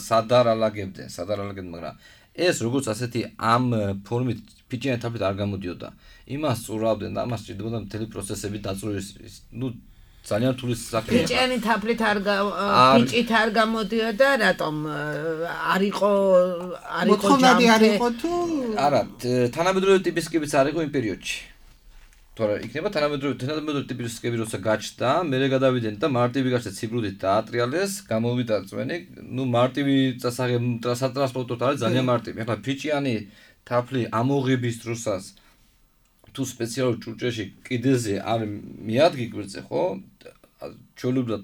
სადარალაგებდნენ, სადარალაგებდნენ, მაგრამ ეს როგორც ასეთი ამ ფორმით ფიჭიანი თაფლით არ გამოდიოდა. იმას წურავდნენ და ამას სჭირდებოდა მთელი პროცესები დაწვრილის, ნუ ძალიან რთული საქმეა. ფიჭიანი თაფლით არ ფიჭით არ გამოდიოდა, რატომ არ იყო არ იყო ჯამთი არ იყო თუ არა, თანამედროვე ტიპის სკებიც არ იყო იმ პერიოდში. თორე იქნება თანამედროვე თანამედროვე ტიპის სკები როცა გაჩნდა, მერე გადავიდნენ და მარტივი გაჩნდა ციბრუდით დაატრიალეს, გამოვიდა წვენი, ნუ მარტივი წასაღებ სატრანსპორტოდ არის ძალიან მარტივი. ახლა ფიჭიანი თაფლი ამოღების დროსაც თუ სპეციალურ ჭურჭელში კიდეზე არ მიადგი გვერდზე, ხო? ჩვეულებრივად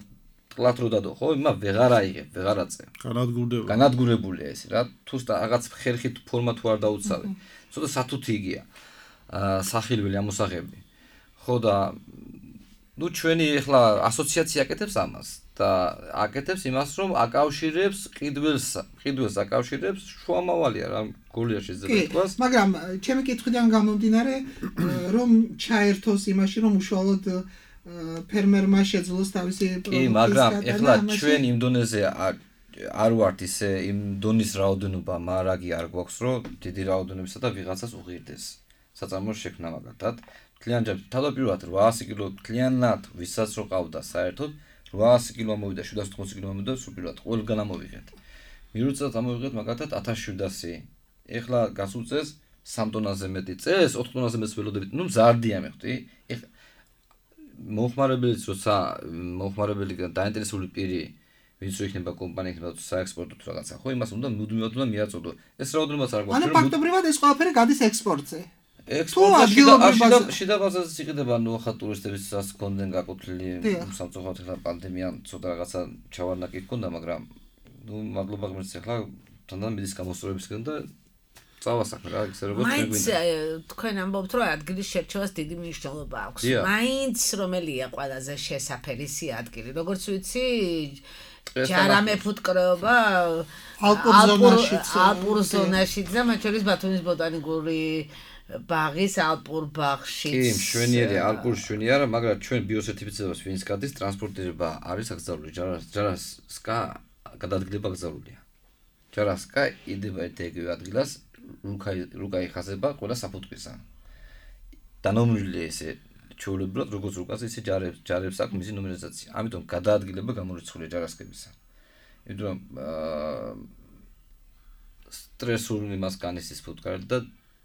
ტყლად რო დადო, ხო? იმა ვეღარ აიღებ, ვეღარ აწე. განადგურებული. განადგურებულია ეს რა. თუ რაღაც ხერხით ფორმა თუ არ დაუცავე. ცოტა სათუთი იგია. აა სახილველი ამოსაღები. ხო და ნუ ჩვენი ახლა ასოციაცია აკეთებს ამას და აკეთებს იმას რომ აკავშირებს ყიდველს ყიდველს აკავშირებს შუამავალია რა გულია შეიძლება ითქვას მაგრამ ჩემი კითხვიდან გამომდინარე რომ ჩაერთოს იმაში რომ უშუალოდ ფერმერმა შეძლოს თავისი პროდუქტის კი მაგრამ ახლა ჩვენ იმ დონეზე არ ვართ ისე იმ დონის რაოდენობა მარაგი არ გვაქვს რომ დიდი რაოდენობისა და ვიღაცას უღირდეს საწარმოს შექმნა მაგათად კლიანტებს თავდაპირველად ოთხასი კილო კლიანად ვისაც რო ყავდა საერთოდ ოთხასი კილო მოვიდა შვიდ ათას ოთხმოცი კილო მოვიდა სულ პირველად ყველგან ამოვიღეთ მიუწევთ ამოვიღეთ მაგათად ათას შვიდასი ეხლა გასულ წელს სამ ტონაზე მეტი წელს ოთხ ტონაზე მეტს ველოდებით ნუ მზარდია მე ხვდი ეხლა მოხმარებელიც როცა მოხმარებელი დაინტერესებული პირი ვინც რო იქნება კომპანია იქნება საექსპორტო თუ რაღაცა ხო იმას უნდა მუდმივად უნდა მიაწოდო ეს რაოდენობაც არ გვაქვს ანუ ფაქტობრივად ეს ყველაფერი გადის ექსპორტზე ექსპორტში და შიდა ბაზაზე იყიდება ნუ ახლა ტურისტებისაც კონდენ გაკუთლილი სამწუხაროდ ახლა პანდემიამ ცოტა რაღაცა ჩავარნაკი ჰქონდა მაგრამ ნუ მადლობა ღმერთს ახლა თანდათან მიდის გამოსწორებისგან და წავა საქმე რა ისე როგორც გვინდა მაინც თქვენ ამბობთ რომ ადგილის შერჩევას დიდი მნიშვნელობა აქვს მაინც რომელია ყველაზე შესაფერისი ადგილი როგორც ვიცი ჯარამე ფუტკრეობა ალპურ ზონაშიც და მათ შორის ბათუმის ბოტანიკური ბაღის ალპურ ბაღში. კი, მშვენიერი ალპური მშვენიერია, მაგრამ ჩვენ ბიოსერტიფიცირებას ვინც გადის, ტრანსპორტირება არის აკრძალული, ჯარას ჯარასკა გადადგილება აკრძალულია. ჯარასკა იდება ერთ-ერთი ადგილას, რუკა რუკა იხაზება ყველა საფუტკრისა. დანომრილი ესე ჩაულებრად როგორც რუკაზე ისე ჯარებს ჯარებს აქვს მისი ნომერიზაცია. ამიტომ გადაადგილება გამორიცხულია ჯარასკებისა. იმიტომ რომ სტრესული იმას განისის ფუტკარი და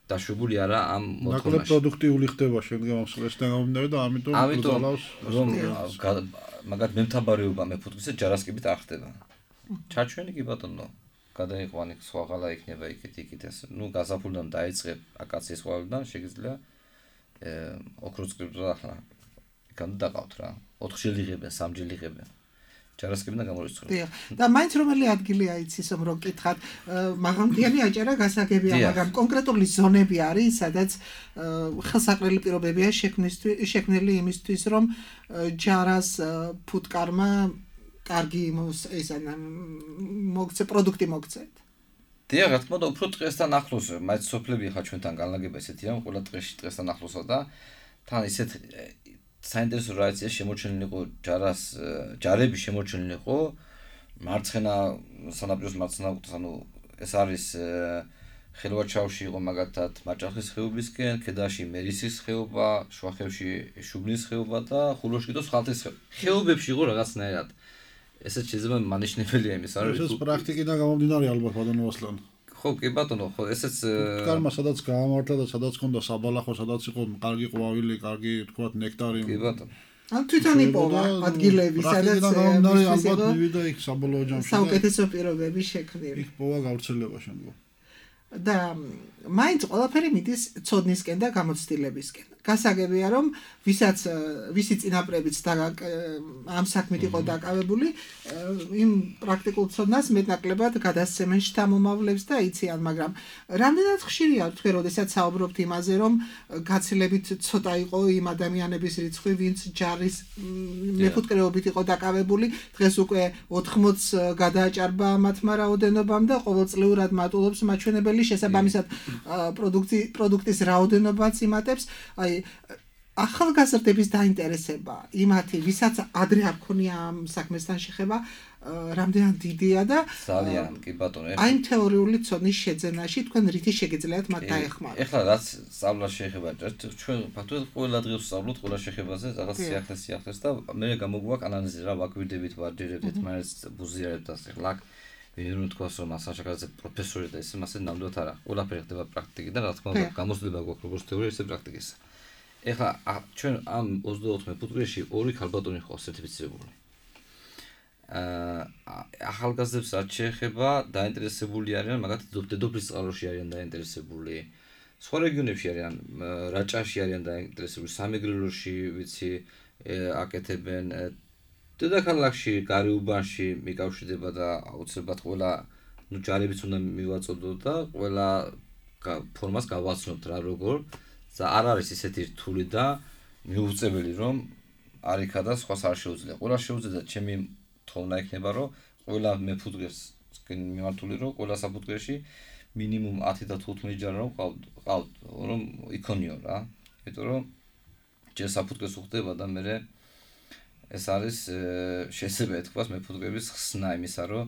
დაშვებული არა ამ მოთხოვნაში. ნაკლებ პროდუქტიული ხდება შემდგომ ამ სტრესთან გამომდინარე და ამიტომ გძალავს რომ მაგათ მემთაბარეობა მე ფუტკრისა ჯარასკებით არ ხდება. ჩარჩვენი კი ბატონო გადაიყვანი სხვაღალა იქნება იქით იქით ეს ნუ გაზაფხულიდან დაიწყებ აკაციის ყვავილიდან შეგიძლია ოქროწყლებს ახლა იქამდე დაყავთ რა ოთხჯერ იღებენ სამჯერ იღებენ ჯარასკებიდან გამორიცხული დიახ და მაინც რომელი ადგილია იცის რომ გკითხათ მაღალმთიანი აჭარა გასაგებია მაგრამ კონკრეტული ზონები არის სადაც ხელსაყრელი პირობებია შექმნილი იმისთვის რომ ჯარას ფუტკარმა კარგი ეს ან მოგცე პროდუქტი მოგცეთ. დიახ, რა თქმა უნდა, უფრო დღესთან ახლოს, მაინც სოფლები ხა ჩვენთან განლაგება ესეთია, ყველა დღეში დღესთან ახლოსა და თან ისეთ საინტერესო რაიცია შემორჩენილიყო ჯარას ჯარები შემორჩენილიყო მარცხენა სანაპიროს მარცხენა კუთხეს, ანუ ეს არის ხელვაჩაუში იყო მაგათად მაჭახის ხეობისკენ, ქედაში მერისის ხეობა, შუახევში შუბნის ხეობა და ხულოში კიდევ ხალთის ხეობა. ხეობებში იყო რაღაცნაირად ესეც შეიძლება მანიშნებელია იმის არის ეს პრაქტიკიდან გამომდინარე ალბათ ბატონო ასლან ხო კი ბატონო ხო ესეც ფუტკარმა სადაც გაამართა და სადაც ჰქონდა საბალახო სადაც იყო კარგი ყვავილი კარგი თქვათ ნექტარი კი ბატონო ან თვითონ იპოვა ადგილები სადაც გამომდინარე ალბათ მივიდა იქ საბოლოო ჯამში საუკეთესო პირობები შექმნილი იქ პოვა გავრცელება შემდგომ და მაინც ყველაფერი მიდის ცოდნისკენ და გამოცდილებისკენ. გასაგებია რომ ვისაც ვისი წინაპრებიც და ამ საქმით იყო დაკავებული, იმ პრაქტიკულ ცოდნას მეტნაკლებად გადასცემენ შთამომავლებს და იციან, მაგრამ რამდენად ხშირია თქვენ როდესაც საუბრობთ იმაზე, რომ გაცილებით ცოტა იყო იმ ადამიანების რიცხვი, ვინც ჯარის მეფუტკრეობით იყო დაკავებული, დღეს უკვე ოთხმოც გადააჭარბა მათმა რაოდენობამ და ყოველწლიურად მატულობს მაჩვენებელი შესაბამისად პროდუქტი პროდუქტის რაოდენობაც იმატებს აი ახალგაზრდების დაინტერესება იმათი ვისაც ადრე არ ქონია ამ საქმესთან შეხება რამდენად დიდია და ძალიან კი ბატონო აი თეორიული ცოდნის შეძენაში თქვენ რითი შეგიძლიათ მათ დაეხმაროთ ეხლა რაც სწავლას შეეხება ჩვენ ფაქტობრივად ყველა დღეს ვსწავლობთ ყველა შეხებაზე რაღაც სიახლეს სიახლეს და მე გამოგვაქვს ანალიზი რა ვაკვირდებით ვარჯერებთ მაინც ბუზიარებთ და ეხლა ვინ თქვას რომ ასაშაკაზე პროფესორი და ესე მასე ნამდვილად არა ყველაფერი ხდება პრაქტიკიდან რა თქმა უნდა გამოცდილება გვაქვს როგორც თეორია ისე პრაქტიკისა ეხლა ჩვენ ამ ოცდაოთხ ფუტკრეში ორი ქალბატონი ხო სერტიფიცირებული აა ახალგაზრდებს რაც შეეხება დაინტერესებული არიან მაგათი დედოფლის წყაროში არიან დაინტერესებული სხვა რეგიონებში არიან რაჭაში არიან დაინტერესებული სამეგრელოში ვიცი აკეთებენ დედაქალაქში, გარეუბანში მიკავშირდება და აუცილებლად ყველა ნუ ჯარებიც უნდა მივაწოდოთ და ყველა ფორმას გავაცნობთ რა როგორ და არ არის ისეთი რთული და მიუღწეველი რომ არ იქა და სხვას არ შეუძლია. ყველა შეუძლია და ჩემი თხოვნა იქნება რომ ყველა მეფუტკრეს მიმართული რომ ყველა საფუტკრეში მინიმუმ ათი და თხუთმეტი ჯარი რომ ყავთ რომ იქონიო რა. იმიტომ რომ ჯერ საფუტკრეს უხდება და მე ეს არის შესაძლებელი ეთქვას მეფუტკრების ხსნა იმისა რომ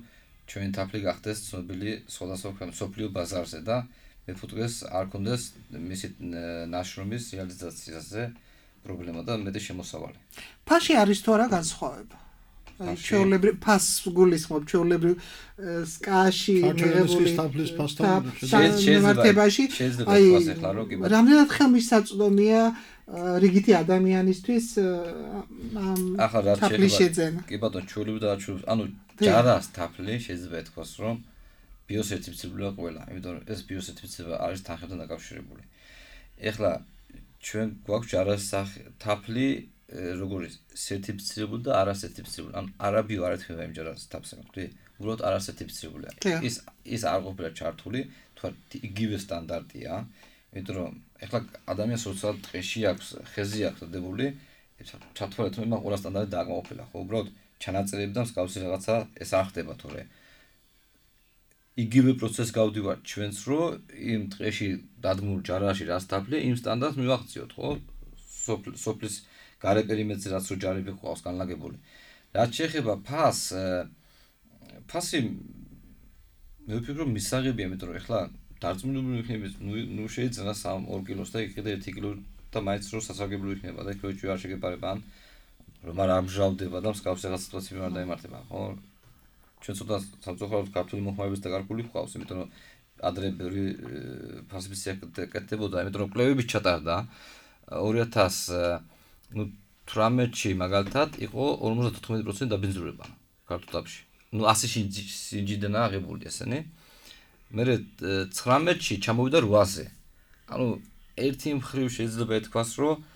ჩვენი თაფლი გახდეს ცნობილი სხვადასხვა მსოფლიო ბაზარზე და მეფუტკრეს არ კონდეს მისი ნაშრომის რეალიზაციაზე პრობლემა და მეტი შემოსავალი. ფასში არის თუ არა განსხვავება? ჩვეულებრივ ფასს გულისხმობ, ჩვეულებრივ სკაში მიღებული თაფლის ფასთან შემართებაში, აი რამდენად ხელმისაწვდომია რიგითი ადამიანისთვის ამ თაფლის შეძენა. კი ბატონო, ჩვეულებრივ და ჩვეულებრივ, ანუ ჯარას თაფლი შეიძლება ეთქვას რომ ბიოსერტიფიცირებულია ყველა, იმიტომ რომ ეს ბიოსერტიფიცირება არის თანხებთან დაკავშირებული. ეხლა ჩვენ გვაქვს ჯარას თაფლი როგორი სერტიფიცირებული და არასერტიფიცირებული. ანუ არაბიო არ ეთქვა იმ ჯარას თაფლს, მოკლედ, უბრალოდ არასერტიფიცირებულია. ის ის არ ყოფილა ჩართული, თქვა იგივე სტანდარტია, იმიტომ რომ ეხლა ადამიანს როცა დღეში აქვს, ხეზე აქვს დადებული, ჩათვალეთ რომ იმან ყველა სტანდარტი დააკმაყოფილა, ხო, უბრალოდ ჩანაწერები და მსგავსი რაღაცა ეს არ ხდება თორე იგივე პროცესს გავდივართ ჩვენც რომ იმ დღეში დადგმულ ჯარაში რას თაფლი იმ სტანდარტს მივახციოთ ხო სოფლის გარე პერიმეტრზე რაც რო ჯარები ყავს განლაგებული რაც შეეხება ფას ფასი მე ვფიქრობ რომ მისაღებია იმიტომ რომ ეხლა დარწმუნებული იქნებით ნუ შეიძლება სამ ორ კილოს და იქნება ერთი კილო და მაინც რო სასარგებლო იქნება და იქ რო არ შეგეპარება ან რომ არ ამჟავდება და მსგავს რაღაც სიტუაციები არ დაემართება ხო ჩვენ ცოტა სამწუხაროდ ქართული მოხმარების დაკარგული გვყავს იმიტომ რომ ადრე ბევრი ფასების ეკეთებოდა იმიტომ რომ კვლევები ჩატარდა ორი ათას ნუ თვრამეტში მაგალითად იყო ორმოცდათოთხმეტი პროცენტი დაბინძურება ქართულ თაფლში ნუ ასი სინჯიდანა აღებული ესენი მერე ცხრამეტში ჩამოვიდა რვაზე ანუ ერთი მხრივ შეიძლება ეთქვას რომ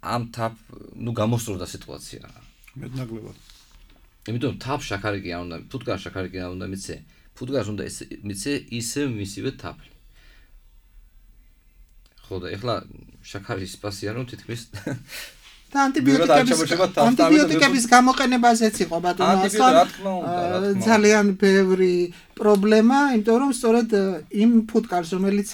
ამ თაფ ნუ გამოსწორდა სიტუაცია მეტნაკლებად იმიტომ თაფ შაქარიკი არ უნდა ფუტკარ შაქარიკი არ უნდა მიცე ფუტკარს უნდა მიცე ისე მისივე თაფლი ხო და ეხლა შაქარის პასია რომ თითქმის და ანტიბიოტიკების ანტიბიოტიკების გამოყენებაზეც იყო ბატონო ასლან ძალიან ბევრი პრობლემა იმიტომ რომ სწორედ იმ ფუტკარს რომელიც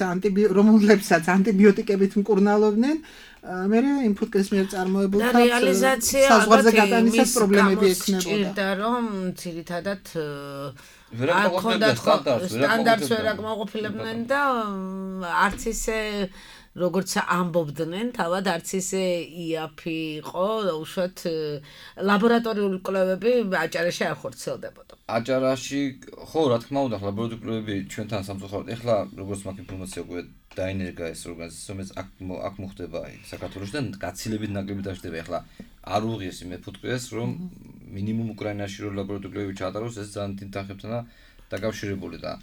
რომლებსაც ანტიბიოტიკებით მკურნალობდნენ მე იმ ფუტკრის მიერ წარმოებულ და რეალიზაცია საზღვარზე გატანისას პრობლემები ექნებოდა და რომ ძირითადად არ ქონდათ სტანდარტს ვერ აკმაყოფილებდნენ და არც ისე როგორც ამბობდნენ, თავად არც ისე იაფი იყო, უშუალოდ ლაბორატორიული კვლევები აჭარაში არ ხორციელდებოდა. აჭარაში ხო, რა თქმა უნდა, ლაბორატორიული კვლევები ჩვენთან სამწუხაროდ ეხლა როგორც მაგ ინფორმაცია უკვე დაინერგა ეს ორგანიზაცია, რომელიც აქ აქ მოხდება საქართველოში და გაცილებით ნაკლები დაждდება. ეხლა არ უღიეს იმ მეფუტკრეს, რომ მინიმუმ უკრაინაში რო ლაბორატორიული კვლევები ჩაატაროს, ეს ძალიან დიდ თანხებთან დაკავშირებული და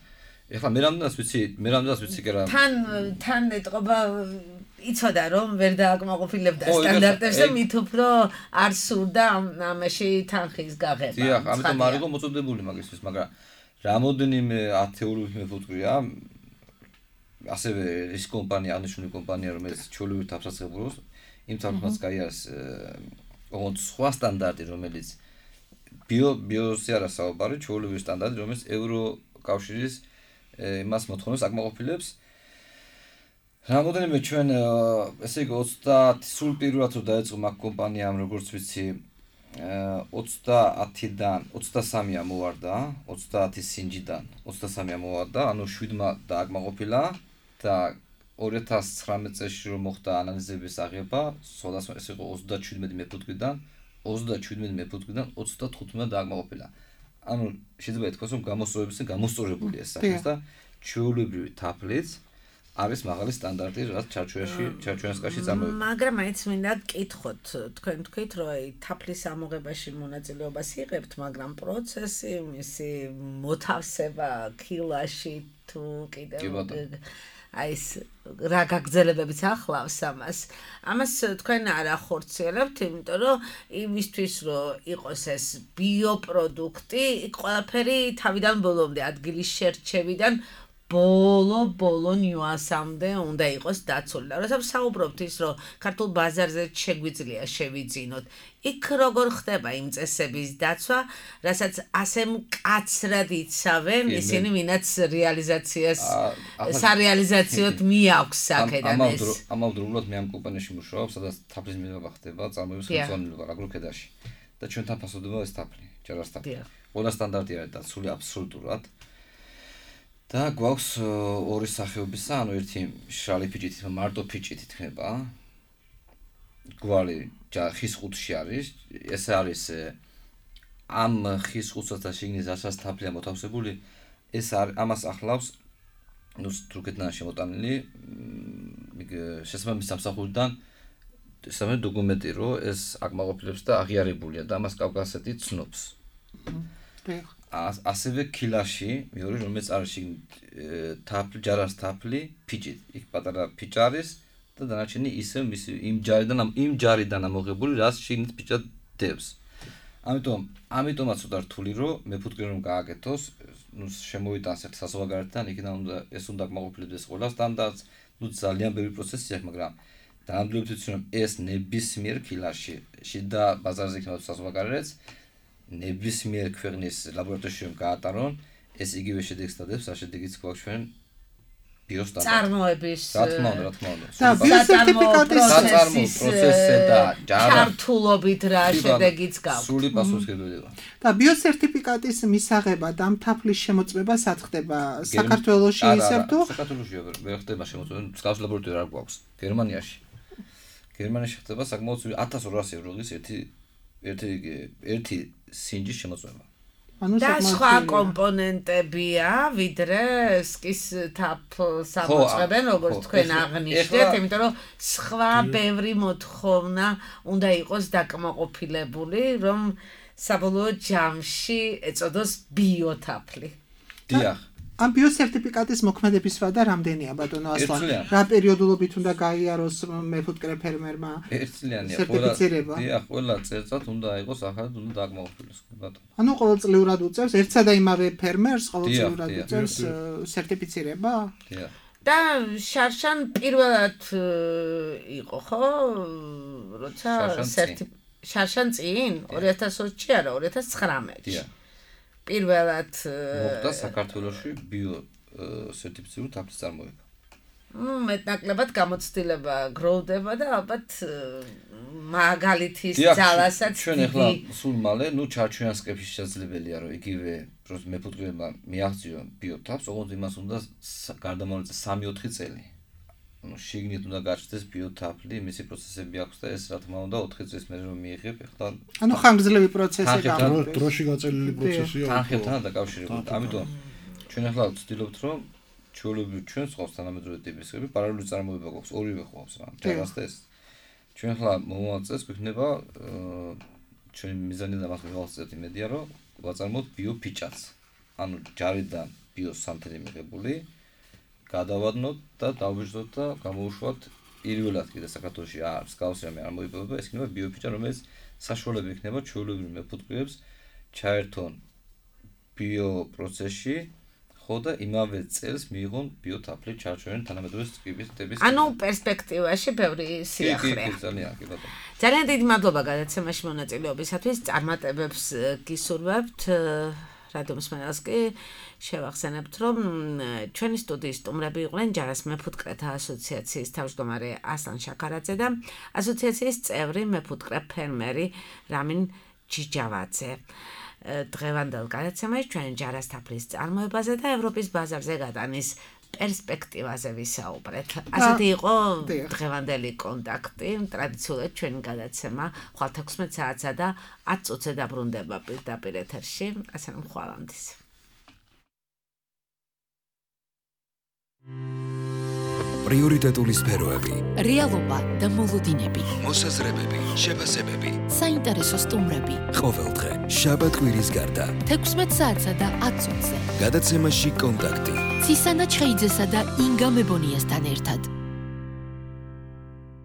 ეხლა მე რამდენად ვიცი, მე რამდენად ვიცი კი რა. თან თან ეთყობა იცოდა რომ ვერ დააკმაყოფილებდა სტანდარტებს და მით უფრო არ სურდა ამაში თანხის გაღება. დიახ, ამიტომ არ იყო მოწოდებული მაგისთვის, მაგრამ რამოდენიმე ათეულობით მეფუტკრია ასევე ის კომპანია, აღნიშნული კომპანია, რომელიც ჩვეულებრივ თაფლს იღებულობს, იმ თაფლს გაიარეს ოღონდ სხვა სტანდარტი, რომელიც ბიო ბიოსი არა საუბარი, ჩვეულებრივი სტანდარტი, რომელიც ევრო კავშირის იმას მოთხოვნებს აკმაყოფილებს. რამოდენიმე ჩვენ ესე იგი ოცდაათი სულ პირველად რო დაეწყო მაგ კომპანიამ როგორც ვიცი ოცდაათიდან ოცდასამი ამოვარდა, ოცდაათი სინჯიდან ოცდასამი ამოვარდა, ანუ შვიდმა დააკმაყოფილა და ორი ათას ცხრამეტ წელს რომ მოხდა ანალიზების აღება, სხვადასხვა ეს იყო ოცდაჩვიდმეტი მეფუტკრიდან, ოცდაჩვიდმეტი მეფუტკრიდან ოცდათხუთმეტი დააკმაყოფილა. ანუ შეიძლება ითქვას რომ გამოსწორებისგან გამოსწორებული ეს სახეს და ჩვეულებრივი თაფლიც არის მაღალი სტანდარტი რაც ჩარჩოებში ჩარჩოენსკაში წარმოება. მაგრამ მაინც მინდა გკითხოთ, თქვენ თქვით რომ აი თაფლის ამოღებაში მონაწილეობას იღებთ, მაგრამ პროცესი, მისი მოთავსება კილაში თუ კიდევ აი ეს რა გაგრძელებებიც ახლავს ამას. ამას თქვენ არ ახორციელებთ, იმიტომ რომ იმისთვის რომ იყოს ეს ბიოპროდუქტი, ყველაფერი თავიდან ბოლომდე ადგილის შერჩევიდან ბოლო ბოლო ნიუანსამდე უნდა იყოს დაცული. და როცა საუბრობთ ის, რომ ქართულ ბაზარზე შეგვიძლია შევიძინოთ, იქ როგორ ხდება იმ წესების დაცვა, რასაც ასე მკაცრად იცავენ ისინი, ვინაც რეალიზაციას სარეალიზაციოდ მიაქვს აქედან ეს. ამავდროულად მე ამ კომპანიაში მუშაობ, სადაც თაფლის მიღება ხდება წარმოების ხელმძღვანელობა აგროქედაში. და ჩვენთან ფასობდება ეს თაფლი, ჯარას თაფლი. ყველა სტანდარტი არის დაცული აბსოლუტურად. და გვაქვს ორი სახეობისა, ანუ ერთი შრალი ფიჭით, მარტო ფიჭით იქნება. გვარი ხის ხუთში არის, ეს არის ამ ხის ხუთსა და შიგნით რასაც თაფლია მოთავსებული, ეს ამას ახლავს, ნუ თურქეთიდან შემოტანილი, შესაბამის სამსახურიდან ესამე დოკუმენტი, რომ ეს აკმაყოფილებს და აღიარებულია და ამას კავკასეთი ცნობს. ასევე ქილაში, მეორე რომელიც არის თაფლი, ჯარას თაფლი, ფიჭით, იქ პატარა ფიჭა არის და დანარჩენი ისევ მისი იმ ჯარიდან იმ ჯარიდან ამოღებული, რაც შიგნით ფიჭა დევს. ამიტომ, ამიტომაც უნდა რთული, რომ მეფუტკრე რომ გააკეთოს, ნუ შემოვიტანს ერთ საზღვარგარეთთან, იქიდან უნდა ეს უნდა აკმაყოფილებს ყველას, თანდაც ნუ ძალიან ბევრი პროცესი აქვს, მაგრამ დაამდვილებით ვიცი, რომ ეს ნებისმიერ ქილაში, შიდა ბაზარზე იქნება საზღვარგარეთს ნებისმიერ ქვეყნის ლაბორატორიაში რომ გაატარონ, ეს იგივე შედეგს დადებს, რა შედეგიც გვაქვს ჩვენ ბიოსტანდარტ. წარმოების რა თქმა უნდა, რა თქმა უნდა. და ბიოსერტიფიკატის საწარმო პროცესზე და ჩართულობით რა შედეგიც გაქვს. სრული პასუხისმგებლობა. და ბიოსერტიფიკატის მისაღება და თაფლის შემოწმება სად ხდება? საქართველოში ისევ თუ საქართველოში ვერ ხდება შემოწმება, მსგავს ლაბორატორია არ გვაქვს. გერმანიაში. გერმანიაში ხდება საკმაოდ ათას ორასი ევროლის ერთი ერთი ერთი სინჯის შემოწმება. და სხვა კომპონენტებია, ვიდრე სკის თაფლს ამოწმებენ, როგორც თქვენ აღნიშნეთ, იმიტომ რომ სხვა ბევრი მოთხოვნა უნდა იყოს დაკმაყოფილებული, რომ საბოლოო ჯამში ეწოდოს ბიოთაფლი. დიახ. ამ ბიოსერტიფიკატის მოქმედების ვადა რამდენია, ბატონო ასლან? რა პერიოდულობით უნდა გაიაროს მეფუტკრე ფერმერმა? ერთწლიანია. სერტიფიცირება. დიახ, ყველა წელიწად უნდა იყოს ახალ უნდა დააკმაყოფილოს, ბატონო. ანუ ყოველწლიურად უწევს ერთსა და იმავე ფერმერს ყოველწლიურად უწევს სერტიფიცირება? დიახ. და შარშან პირველად იყო, ხო? როცა სერტიფიცირება შარშან წინ ორი ათას ოცი არა, ორი ათას ცხრამეტში. დიახ. პირველად მოხდა საქართველოში ბიო სერტიფიცირებული თაფლის წარმოება. ნუ მეტნაკლებად გამოცდილება გროვდება და ალბათ მაგალითის ძალასაც ჩვენ ახლა სულ მალე, ნუ ჩარჩოიან სკეპში შესაძლებელია, რომ იგივე მეფუტკრეებმა მიაღწიონ ბიო თაფლს, ოღონდ იმას უნდა გარდამავალი სამი ოთხი წელი. ну შიგნით უნდა გაჩნდეს ბიოთაფლი, მისი პროცესები აქვს და ეს რა თქმა უნდა ოთხი წლის მერე რომ მიიღებ, ახლა ანუ ხანგრძლივი პროცესი გაქვს. დროში გაწელილი პროცესია. თანხებთან დაკავშირებით. ამიტომ ჩვენ ახლა ვცდილობთ რომ ჩვეულებრივ ჩვენს ყავს თანამედროვე ტიპის ხები, პარალელური წარმოება გვაქვს, ორივე ყავს რა. ჯერას და ეს. ჩვენ ახლა მომავალ წელს გვიქნება ჩვენი მიზანი და მას მივახცევთ იმედია რომ ვაწარმოოთ ბიოფიჭაც. ანუ ჯარიდან ბიოსანთელი მიღებული გადავადნოთ და დავიჟდოთ და გამოუშვათ პირველად კიდე საქართველოში არ მსგავსი რამე არ მოიპოვება, ეს იქნება ბიოფიჭა, რომელიც საშუალება იქნება ჩვეულებრივ მეფუტკრეებს ჩაერთონ ბიო პროცესში, ხო და იმავე წელს მიიღონ ბიოთაფლი ჩარჩოენ თანამედროვე ტიპის ტიპის. ანუ პერსპექტივაში ბევრი სიახლეა. ძალიან კი ბატონო. ძალიან დიდი მადლობა გადაცემაში მონაწილეობისათვის. წარმატებებს გისურვებთ. რადიოს მსმენელს კი შევახსენებთ, რომ ჩვენი სტუდიის სტუმრები იყვნენ ჯარას მეფუტკრეთა ასოციაციის თავმჯდომარე ასლან შაქარაძე და ასოციაციის წევრი მეფუტკრე ფერმერი რამინ ჯიჯავაძე. დღევანდელ გადაცემაში ჩვენ ჯარას თაფლის წარმოებაზე და ევროპის ბაზარზე გადანის პერსპექტივაზე ვისაუბრეთ. ასეთი იყო დღევანდელი კონტაქტი, ტრადიციულად ჩვენი გადაცემა ხვალ თექვსმეტ საათსა და ათ წუთზე დაბრუნდება პირდაპირ ეთერში. ასე რომ ხვალამდე. პრიორიტეტული სფეროები, რეალობა და მოლოდინები, მოსაზრებები, შეფასებები, საინტერესო სტუმრები. ყოველდღე შაბათ კვირის გარდა თექვსმეტ საათსა და ათ წუთზე გადაცემაში კონტაქტი. ცისანა ჩხეიძესა და ინგა მებონიასთან ერთად.